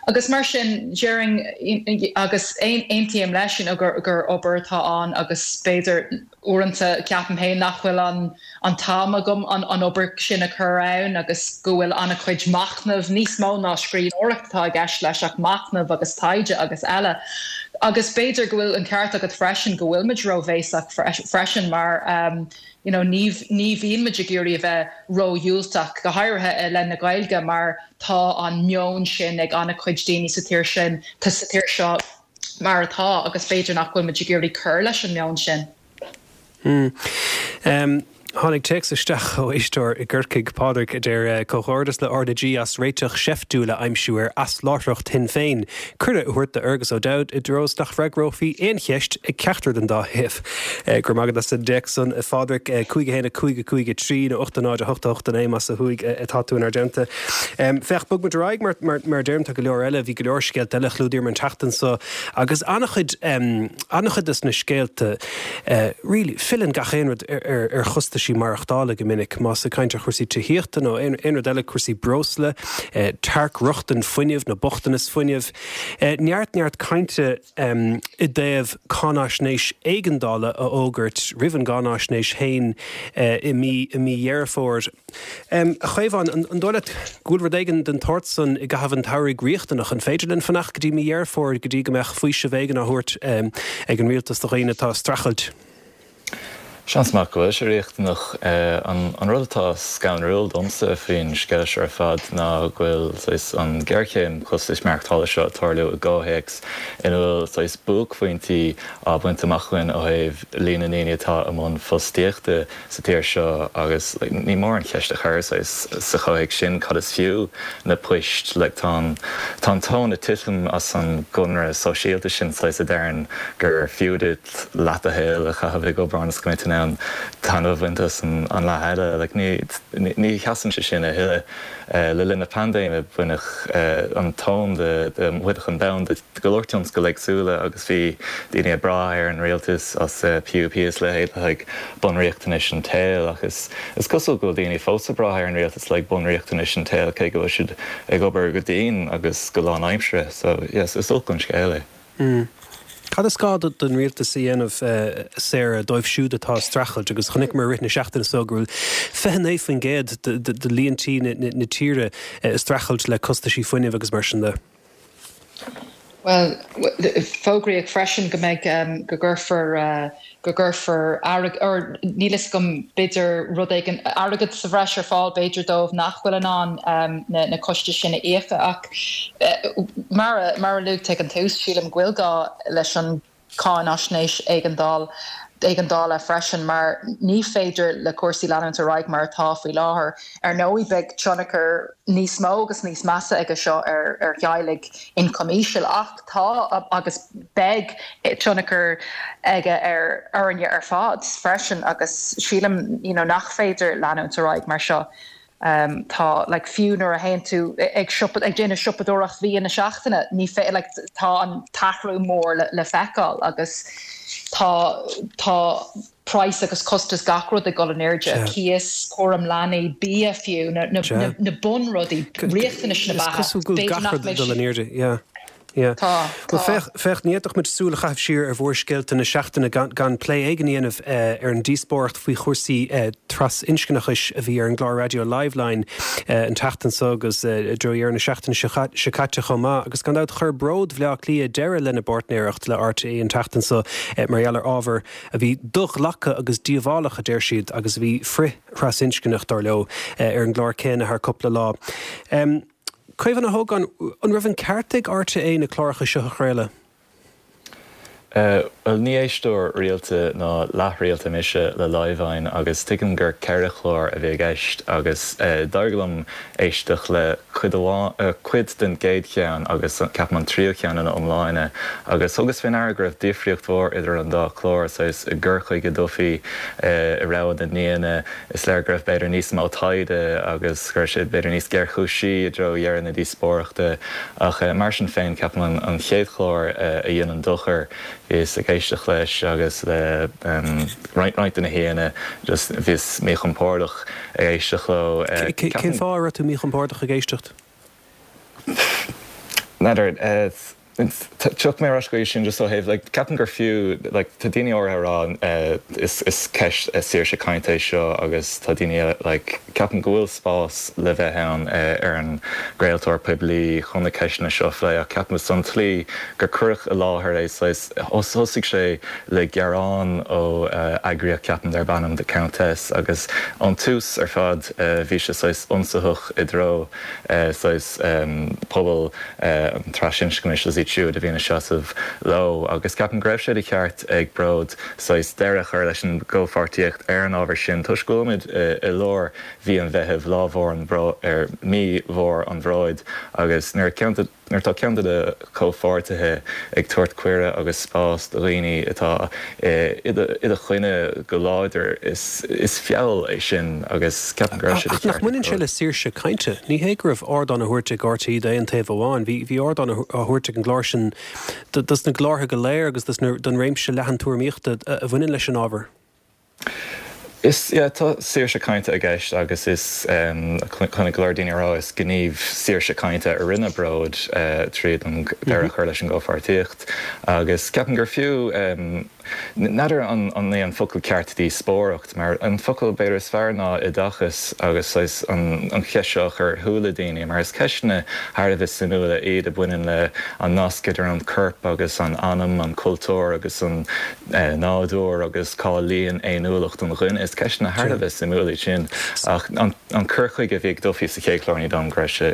[SPEAKER 8] Agus mar sin déarfainn agus aontaím leis you know, gur, gur obair atá ann agus b'fhéidir uaireanta ceapaim féin nach bhfuil an an t-am agam an an obair sin a chur ann agus go bhfuil an-chuid machnamh níos mó ná scríbhneoireacht atá i gceist leis ach machnamh agus taighde agus eile. Agus b'fhéidir go bhfuil an ceart agat freisin go bhfuil muid róbhéasach freisin mar um, you know, ní ní bhíonn muid ag iarraidh a bheith ródhiúltach go háirithe i leith na Gaeilge mar tá an meon sin ag an-chuid daoine sa tír sin tá sa tír seo mar atá agus b'fhéidir nach bhfuil muid ag iarraidh cur leis an meon sin.
[SPEAKER 1] Mm. Um, Tháinig téacs isteach ó éisteoir i gCorcaigh Pádraig a deir eh, comhghairdeas le R na G as réiteach seiftiúil a aimsiú ar asláithreacht Shinn Féin. Cuireadh a thabhairt d'Fhergus O'Dowd i dtreo is nach bhfreagrófaí aon cheist ag ceachtar den dá thaobh. Eh, go raibh maith agat as an dtéacs san a Phádraig eh, cúig a haon a cúig a cúig a trí nó ocht a náid a hocht a hocht a naoi más ó thuaidh atá tú inár dteannta. Féach bog muid ar aghaidh mar mar mar deirim tá go leor eile bhí go leor scéalta eile a chlúdaíomar an tseachtain seo agus an-chuid an-chuid des na scéalta really filleann gach aon rud ar ar ar chostais maireachtála go minic, más ag caint ar chúrsaí tithíochta nó aon aon rud eile cúrsaí breosla, tearc-rochtain fuinnimh nó bochtanas fuinnimh. Neart neart cainte i dtaobh cáinaisnéis éigeandála a fhógairt roimh an gcáinaisnéis féin i mí i mí Dheireadh Fómhair. A Chaomháin, an dóigh leat go bhfuil rud éigin den tsórt san i gcaitheamh an tsamhraidh riachtanach? An féidir linn fanacht go dtí mí Dheireadh Fómhair go dtí go mbeadh faoiseamh éigin á thabhairt ag an rialtas do dhaoine atá ag streachailt?
[SPEAKER 7] Seans maith go bhfuil sé riachtanach. An rud atá scanrúil domsa faoin scéal seo ar fad ná go bhfuil saghas an ghéarchéim costais maireachtála seo ag tarlú i gcomhthéacs ina bhfuil saghas buaicphointí á baint amach againn ó thaobh líon na ndaoine atá i mbun fostaíochta sa tír seo agus ní mór an cheist a chur saghas sa chomhthéacs sin cad is fiú na poist? Like tá an tá an tóin ag titim as an gconradh sóisialta sin saghas a deireann gur fiú duit leath do shaoil a chaitheamh ag obair ionas go mbeidh tú in ann taitneamh a bhaint as an leath eile. Like ní ní sheasann sé sin a thuilleadh. Le linn na paindéime baineadh an tóin de de bhaineadh an bonn de go leor tionscail éagsúla agus bhí daoine ag brath ar an rialtas as PUP is leithéid le haghaidh bunriachtanais an tsaoil ach is is cosúil go bhfuil daoine fós ag brath ar an rialtas le haghaidh bunriachtanais an tsaoil cé go bhfuil siad ag obair go dian agus go lánaimseartha. So yes, is olc an scéal é.
[SPEAKER 1] Cad is gá don rialtas a dhéanamh, Sarah, dóibh siúd atá ag streachailt agus chonaiceamar i rith na seachtaine seo go bhfuil fiche naoi faoin gcéad de líon tí na tíre ag streachailt le costaisí fuinnimh agus mar sin de?
[SPEAKER 8] Bhuel, fógraíodh freisin go mbeidh, go gcuirfear, go gcuirfear airgead, or níl fhios agam, b'fhéidir rud éigin, airgead sa bhreis ar fáil b'fhéidir dóibh nach bhfuil in ann na na costais sin a íoc ach mar a, mar a luaigh tú ag an tús, sílim go bhfuil gá leis an cáinaisnéis éigeandáil, éigeandála freisin mar ní féidir le cúrsaí leanúint ar aghaidh mar atá faoi láthair. Ar ndóigh beidh tionchar níos mó agus níos measa aige seo ar ar theaghlaigh ioncam íseal ach tá agus beidh tionchar aige ar orainne ar fad freisin agus sílim you know nach féidir leanúint ar aghaidh mar seo. Tá like fiú nuair a théann tú ag siopa ag déanamh siopadóireacht mhí na seachtaine ní fé like tá an t-athrú mór le le feiceáil agus tá tá price agus costas gach rud ag dul in airde, cíos, cúram leanaí, bia fiú, na na na na bunrudaí, riachtanais na
[SPEAKER 1] Is
[SPEAKER 8] beatha.
[SPEAKER 1] cosúil go bhfuil
[SPEAKER 8] B'fhéidir
[SPEAKER 1] gach
[SPEAKER 8] nach
[SPEAKER 1] rud ag
[SPEAKER 8] mbeidh
[SPEAKER 1] dul in airde, yeah. Yeah.
[SPEAKER 8] Tá,
[SPEAKER 1] Bhuel,
[SPEAKER 8] tá.
[SPEAKER 1] féach, féach, ní fhéadfadh muid súil a chaitheamh siar ar mhórscéalta na seachtaine gan, gan plé éigin a dhéanamh ar an díospóireacht faoi chúrsaí trasinscneachais a bhí ar an gclár raidió Liveline an tseachtain seo agus i dtreo dheireadh na seachtaine seo caite chomh maith. Agus gan dabht chuir Bród Bhaile Átha Cliath deireadh lena bpáirtnéireacht le RTÉ an tseachtain seo mar gheall ar ábhar a bhí do-ghlactha agus díobhálach, a deir siad, agus a bhí frith-thrasinscneach, dar leo, ar an gclár céanna thar cúpla lá. Caomhán Ó hÓgáin, an raibh an ceart ag RTÉ na cláracha seo a chraoladh?
[SPEAKER 7] Bhuel, ní éisteoir rialta ná leathrialta mise le Liveline agus tuigim gur ceithre chlár a bhí i gceist agus d'éirigh liom éisteacht le cuid amháin, cuid den gcéad cheann agus ceapaim an tríú ceann ina iomláine agus thugas faoi ndeara go raibh difríocht mhór idir an dá chlár, saghas i gcur chuige Duffy, i rogha na n-aíonna. Is léir go raibh b'fhéidir níos mó taighde agus go raibh sé b'fhéidir níos géarchúisí i dtreo dheireadh na díospóireachta ach mar sin féin ceapaim an chéad chlár a dhein an dochar. Bhíos ag éisteacht leis agus le roinnt de na haíonna just bhíos míchompordach ag éisteacht leo.
[SPEAKER 1] Cén fáth a raibh tú míchompordach ag éisteacht?
[SPEAKER 7] N'fheadar. Tiocfaidh mé ar ais go dtí sin just ó thaobh like ceapaim gur fiú like tá daoine áirithe ag rá is is ceist saoirse cainte é seo agus tá daoine eile like ceapaim go bhfuil spás le bheith ann ar an gcraoltóir poiblí chun na ceisteanna seo a phlé ach ceapaim an tslí gur cuireadh i láthair é saghas thosaigh sé le gearán ó eagraíocht ceapaim darb ainm The Countess agus ón tús ar fad bhí sé saghas ionsaitheach i dtreo saghas pobal an trasinscneachais is iad siúd a bhíonn ag seasamh leo agus ceapaim go raibh sé de cheart ag Bród saghas deireadh a chur leis an gcomhpháirtíocht ar an ábhar sin toisc go bhfuilimid i lár mhí an Mheithimh, lá mhór an bhró ar mí mhór an bhróid agus nuair a nuair atá ceann de do chomhpháirtithe ag tabhairt cuireadh agus spás do dhaoine atá i do choinne go láidir, is feall é sin agus ceapaim go raibh sé de
[SPEAKER 1] Ach nach
[SPEAKER 7] cheart ag
[SPEAKER 1] mbaineann sé
[SPEAKER 7] Bród.
[SPEAKER 1] le saoirse cainte? Ní hé go raibh ardán á thabhairt ag RTÉ d'aon taobh amháin. Bhí bhí ardán á thabhairt ag an gclár sin dos na glórtha go léir agus dos na don réimse leathan tuairimíochta a bhaineann leis an ábhar.
[SPEAKER 7] Is yeah, tá saoirse cainte i gceist agus is chonaic go leor daoine ag rá is gníomh saoirse cainte a rinne Bród tríd an deireadh a chur leis an gcomhpháirtíocht agus ceapaim gur fiú N'fheadar an é an focal ceart díospóireacht, mar an focal b'fhéidir is fearr ná oideachas agus saghas an cheist seo a chur ar shúile daoine, mar is ceisteanna thar a bheith suimiúla iad a bhaineann le an nasc idir an corp agus an anam, an cultúr agus an nádúr agus cá luíonn féiniúlacht an dhuine. Is ceisteanna thar a bheith suimiúla iad sin ach an cur chuige a bhí ag Duffy sa chéad chlár ní dóigh liom go raibh sé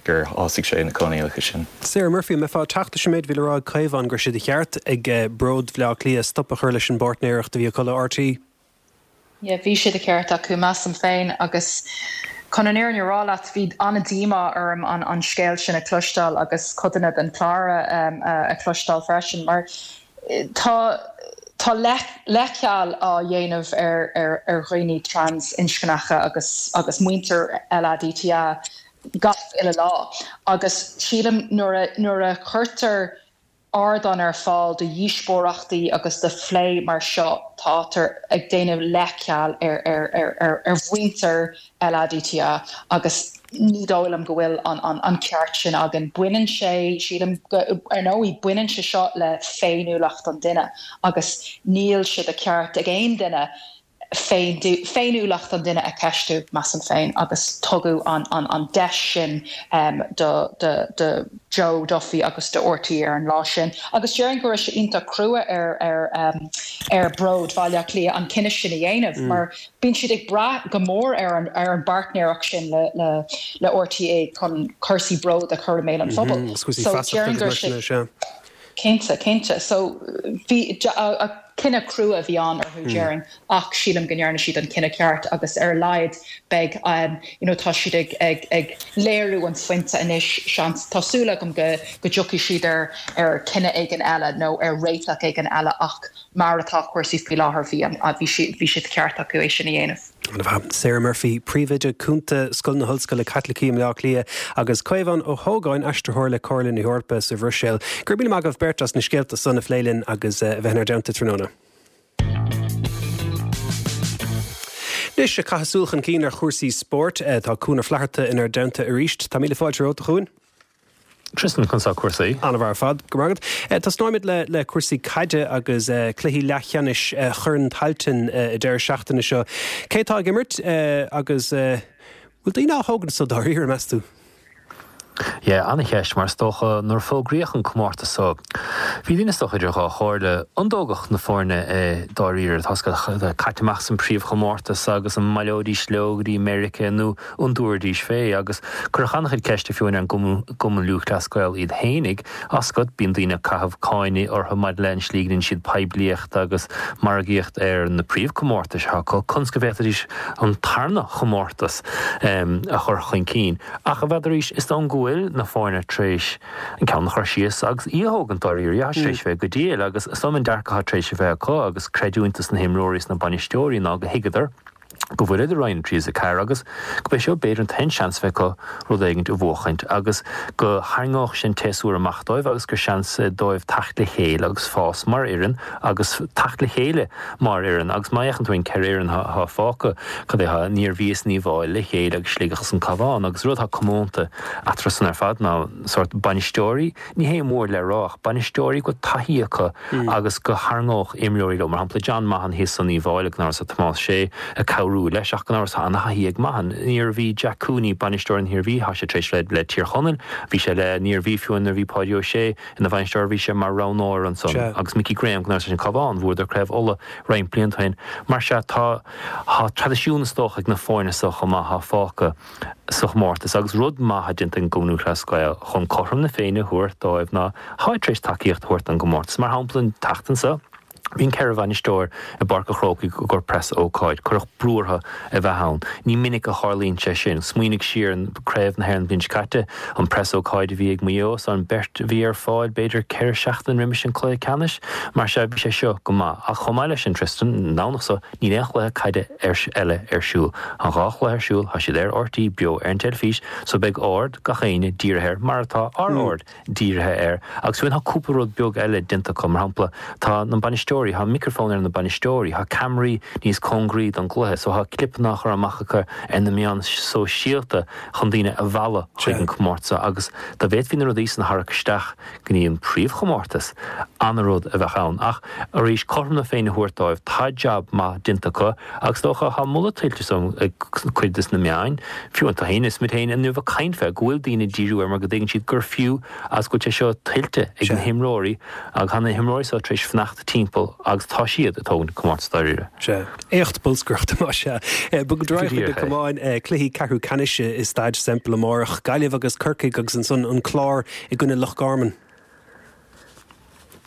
[SPEAKER 7] gur shásaigh sé na coinníollacha sin.
[SPEAKER 1] Sarah Murphy, an mbeifeá ag teacht leis an méid a bhí le rá ag Caomhán go raibh sé de cheart ag Bród Bhaile Átha Cliath stop a chur leis an bpáirtnéireacht a bhí acu le RTÉ?
[SPEAKER 8] Yeah, bhí sé de cheart acu measaim féin agus chun an fhírinne a rá leat bhí an-díomá orm an, an scéal sin a chloisteáil agus codanna den chlár um, a chloisteáil freisin mar tá tá leithcheal á dhéanamh ar, ar, ar dhaoine trans-inscneacha agus, agus muintir LADTA gach uile lá agus sílim nuair a, nuair a chuirtear ardán ar fáil do dhíospóireachtaí agus do phlé mar seo tátar ag déanamh leithcheal ar, ar, ar, ar, ar mhuintir LADTA agus ní dóigh liom go bhfuil an, an, an ceart sin againn. Baineann sé sílim ar ndóigh baineann sé seo le féiniúlacht an duine agus níl sé de cheart ag aon duine féiniúlacht an duine a cheistiú measaim féin agus tugadh an, an, an deis sin um, do, do, do Joe Duffy agus do RTÉ ar an lá sin. Agus déarfainn go raibh sé iontach crua ar ar um, ar Bród Bhaile Átha Cliath an cinneadh sin a dhéanamh mm. mar bíonn siad ag brath go mór ar an ar an bpáirtnéireacht sin le le le RTÉ chun cúrsaí bród a chur i mbéal an phobail. Mm
[SPEAKER 1] -hmm. So déarfainn go sé
[SPEAKER 8] Cinnte cinnte so bhí cinneadh crua a bhí ann orthu mm. déarfainn ach sílim go ndearna siad an cinneadh ceart agus ar a laghad beidh um, you know, tá siad ag, ag, ag léiriú an phointe anois seans tá súil agam go go dtiocfaidh siad ar ar cinneadh éigin eile nó ar réiteach éigin eile ach mar atá cúrsaí faoi láthair bhí bhí bhí sé ceart acu é sin a dhéanamh.
[SPEAKER 1] Sarah Murphy, Príomhoide Cúnta Scoil na hOllscoile Caitlicí i mBaile Átha Cliath agus Caomhán Ó hÓgáin aistritheoir le Comhairle na hEorpa sa Bhruiséil. Gur mí agah beirt as na scéalta san a phlé linn agus eh, bheith inár dteannta tráthnóna. Anois ag caitheamh súil chun cinn ar chúrsaí spóirt eh, tá Cuan Ó Flatharta inár dteannta arís. Tá míle fáilte romhat a Chuain?
[SPEAKER 9] Tristan conas tá cúrsaí.
[SPEAKER 1] An-mhaith ar fad go raibh maith agat. Eh, Tosnóimid le le cúrsaí caide agus eh, cluichí leathcheannais eh, Chorn Tailteann eh, deireadh seachtaine seo. Cé tá ag imirt eh, agus eh, bhfuil daoine á thógaint sa dáiríre meas tú?
[SPEAKER 9] Yeah, an-cheist mar is dócha nuair a fógraíodh an comórtas so. Bhí daoine is dócha idir dhá chomhairle an dtógfadh na foirne é dáiríre tá caite amach san príomhchomórtas agus an mbaileoidís leo go dtí Meiriceá nó an dtabharfaidís fé agus cuireadh an-chuid ceiste fiú ar an gCumann Lúthchleas Gael iad fhéinig as go bíonn daoine ag caitheamh cáineadh orthu maidir le an slí go ndéanann siad poiblíocht agus margaíocht ar na príomhchomórtais atá acu conas go bhféadfaidís an tarna chomórtas a chur chun cinn. Ach a bheith arís is dóigh go bhfuil na foirne tar éis an ceann a chur síos agus í a thógaint dáiríre, tá tar éis bheith go diail agus is dóigh an dearcadh atá tar éis a bheith acu agus creidiúint dos na himreoirí is na bainisteoirí ná go thuigeadar go bhfuil idir Roinn a trí is a ceathair agus go b'é seo b'fhéidir an t-aon seans a bheith acu rud éigint a bhuachaint agus go tharraingeodh sin séasúr amach dóibh agus gur seans dóibh teacht le chéile agus fás mar fhoireann agus teacht le chéile mar fhoireann agus má fhéachann tú ar an ceithre fhoireann atá fágtha cad é an Iarmhí is an Uíbh Fhailí le chéile agus Sligeach is an Cabhán agus rud atá comónta eatarthu san ar fad ná sórt bainisteoirí, ní hé mór le rá ach bainisteoirí go bhfuil taithí acu agus go tharraingeodh imreoirí leo, mar shampla John Mahon thíos san Uíbh Fhailí gan amhras tá Tomás Sé ag cabhrú leis ach gan amhras tá ana-thaithí ag Mahon. An Iarmhí Jack Cooney, bainisteoir an Iarmhí, tá sé tar éis le le Tír Chonaill, bhí sé le an Iarmhí fiú nuair a bhí Páidí Ó Sé ina bhainisteoir bhí sé mar roghnóir ansan agus Mickey Graham gan amhras leis an Cabhán, bhuadar Craobh Uladh roinnt blianta ó shin. Mar sea tá tá traidisiún is dócha ag na foirne seo chomh maith atá fágtha sa chomórtas agus rud maith atá déanta ag an gCumann Lúthchleas Gael chun cothrom na Féinne a thabhairt dóibh ná táid tar éis tacaíocht a thabhairt don gcomórtas. Mar shampla an tseachtain seo bhí an ceithre bhainisteoir i bPáirc an Chrócaigh i gcomhair preas-ócáid. Cuireadh brú orthu a bheith ann. Ní minic a tharlaíonn sé sin. Smaoinigh siar an Craobh na hÉireann an bhliain seo caite, an preas-ócáid a bhí ag Maigh Eo is an beirt a bhí ar fáil b'fhéidir ceithre seachtain roimis an cluiche ceannais. Mar sea bhí sé seo go maith. Ach chomh maith leis sin Tristan, an Domhnach seo níl aon chluiche caide eile ar siúl. Tá dhá chluiche ar siúl, tá siad ar RTÉ beo ar an teilifís so beidh aird gach éinne dírithe air mar atá ár aird dírithe air. Agus fiú tá cúpla rud beag eile déanta acu, mar shampla tá na bainisteoirí, bainisteoirí, tá micreafón ar na bainisteoirí, tá ceamaraí níos cóngaraí don gcluiche, so tá clipeanna á chur amach acu ar na meáin sóisialta chun daoine a mhealladh chuig an comórtas agus dá bhféadfaí na rudaí san a tharrac isteach go dtí an príomhchomórtas, an-rud a bheadh ann. Ach arís, cothrom na Féinne a thabhairt dóibh, tá jab maith déanta acu agus is dócha, tá moladh tuillte is dóigh ag cuid des na meáin, fiú an tú féin is muid féin inniu ag caint fé, go bhfuil daoine ag díriú air mar go dtuigeann siad gur fiú agus go bhfuil sé seo tuillte ag na himreoirí agus tá na himreoirí seo tar éis fanacht timpeall agus tá siad ag tógaint an comórtas dáiríre.
[SPEAKER 1] Sea. Éacht bolscaireachta más ea. Bogfaimid ar aghaidh chuig na camáin, cluichí ceathrú ceannais i Staid Semple amárach, Gaillimh agus Corcaigh agus ansan an Clár i gcoinne Loch Garman.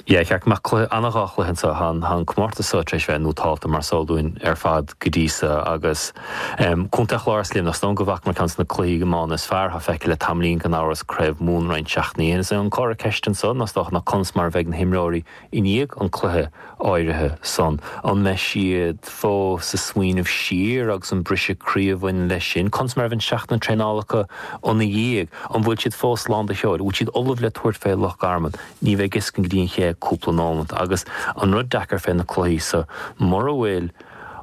[SPEAKER 9] Yeah, ceart go mbeadh cluiche, ana dhá chluiche anseo. Tá an, tá an comórtas seo tar éis bheith nótálta mar is eol dúinn ar fad go dtí so agus Contae an Chláir is Luimneach, is dóigh go bhfacamar ceann de na cluichí iomána is fearr atá feicthe le tamaillín gan amhras, Craobh Mumhan roinnt seachtainí ó shin. Is é an comhartha ceiste anseo ná is dócha ná conas mar a bheidh na himreoirí i ndiaidh an cluiche áirithe san. An mbeidh siad fós ag smaoineamh siar agus an briseadh croí a bhain leis sin? Conas mar a bheidh an seachtain traenála acu ina dhiaidh? An bhfuil siad fós lán de sheoid? An bhfuil siad ullamh le tabhairt fé Loch Garman? Ní bheidh a fhios againn go dtí an chéad cúpla nóimeant. Agus an rud deacair fé na cluichí so, mura bhfuil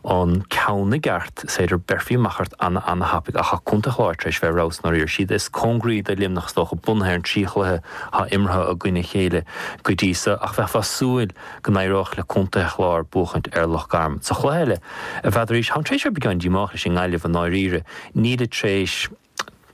[SPEAKER 9] an ceann i gceart, is féidir beirfí amach ort ana ana thapaidh. Ach tá Contae an Chláir tar éis bheith ar fheabhas ndáiríre. Siad is cóngaraí do Luimneach is dócha, bunaithe ar an trí chluiche atá imeartha i gcoinne a chéile go dtí so. Ach bheifeá ag súil go n-éireodh le Contae an Chláir buachaint ar Loch Garman. Sa chluiche eile, n'fheadar arís, táim tar éis bheith beagán díomách leis an nGaillimh i ndáiríre. Nílid tar éis.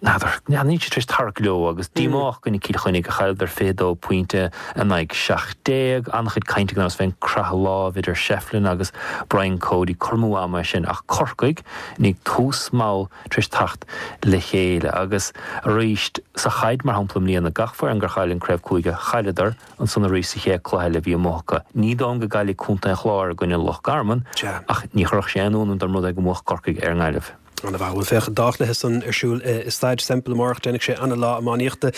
[SPEAKER 9] N'fheadar, níl siad tar éis tarrac leo agus díomách i gcoinne Cill Chainnigh a chailleadar fiche dó pointe in aghaidh seacht déag. An-chuid cainte gan amhras fén croitheadh lámh idir Shefflin agus Brian Cody, cur amú ama é sin ach Corcaigh i ndiaidh tús mall tar éis teacht le chéile agus arís sa chaid mar shampla i mbliana gach foireann gur chaill an craobh cúige chailleadar ansan arís sa chéad cluiche eile a bhí amuigh acu. Ní dóigh liom go gcaillfidh Contae an Chláir i gcoinne Loch Garman ach ní chuirfeadh sé aon ionadh orm dá mba rud é go mbuafadh Corcaigh ar an nGaillimh.
[SPEAKER 1] Ana-mhaith. Bhuel, féach, an dá chluiche san ar siúl i Staid Semple amárach. Déanfaidh sé ana-lá iománaíochta.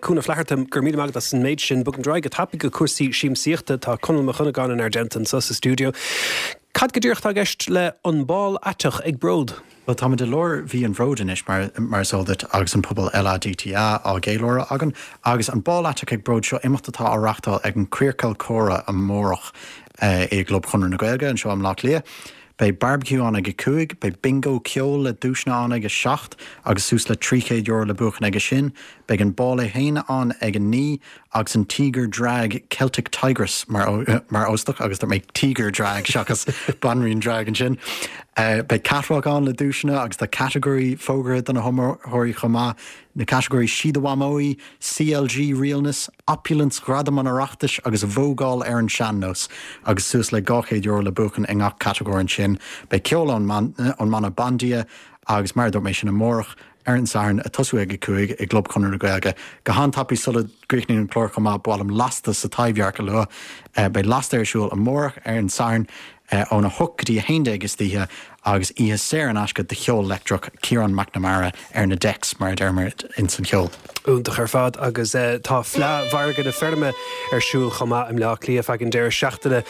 [SPEAKER 1] Cuan Ó Flatharta, go raibh míle maith agat as an méid sin. Bogfaimid ar aghaidh go tapaidh go cúrsaí siamsaíochta. Tá Conall Mac Dhonnagáin inár dteannta anseo sa stiúideo. Cad go díreach atá i gceist le An Bál Aiteach ag Bród?
[SPEAKER 10] Bhuel, táimid i lár mhí an Bhróid anois, mar mar is eol duit, agus an puball LADTA á gceiliúradh againn. Agus an Bál Aiteach ag Bród, seo imeacht atá á reachtáil ag an Queercal Comhrá amárach i gClub Chonradh na Gaeilge anseo i mBleá Cliath. Beidh barbecue ann ag a cúig, beidh bingo ceoil le duaiseanna ann ag a seacht agus suas le trí chéad euro le buachan aige sin. Beidh an bál é féin ann ag a naoi agus an Tíogar Drag Celtic Tigress mar mar óstach agus dúirt mé Tíogar Drag seachas Banríon Drag ansin. Beidh catwalk ann le duaiseanna agus tá catagóirí fógartha do na hiomaitheoirí chomh maith. Na catagóirí Sí do Mhamó í, CLG Realness, Opulence Ghradam an Oireachtais agus Vógáil ar an Sean-Nós agus suas le dhá chéad euro le buachan i ngach catagóir ansin. Beidh ceol ón mbanna Bandia agus mar a dúirt mé sin amárach ar an Satharn ag tosú ag a cúig i gClub Chonradh na Gaeilge. Go han-tapaidh sula gcríochnaíonn an clár chomh maith, ba mhaith liom Lasta sa Taibhdhearc a lua. Beidh Lasta ar siúl amárach ar an Satharn óna hocht go dtí a haon déag istoíche agus oíche saor in aisce de cheol leictreach, Ciarán McNamara ar na decks mar a deirimid ins an cheol.
[SPEAKER 1] Iontach ar fad agus tá Fleadh Mhargadh na Feirme ar siúl chomh maith i mBleá Cliath feadh an deireadh seachtaine.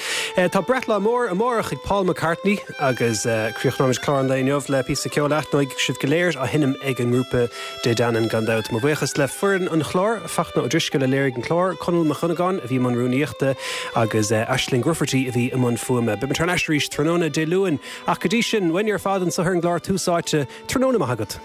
[SPEAKER 1] Tá breithlá mór amárach ag Paul McCartney agus críochnóimid clár an lae inniu le píosa ceoil a aithneoidh sibh go léir á sheinm ag an ngrúpa Dé Danann gan dabht. Mo bhuíochas le foireann an chláir, Fachtna Ó Drisceoil a léirigh an clár, Conall Mac Dhonnagáin a bhí i mbun rúnaíochta agus Aisling Grufferty a bhí i mbun fuaime. Beidh muid thar n-ais arís tráthnóna Dé Luain ach go dtí sin, uainne ar fad anseo ar an gclár Tús Áite, tráthnóna maith agat.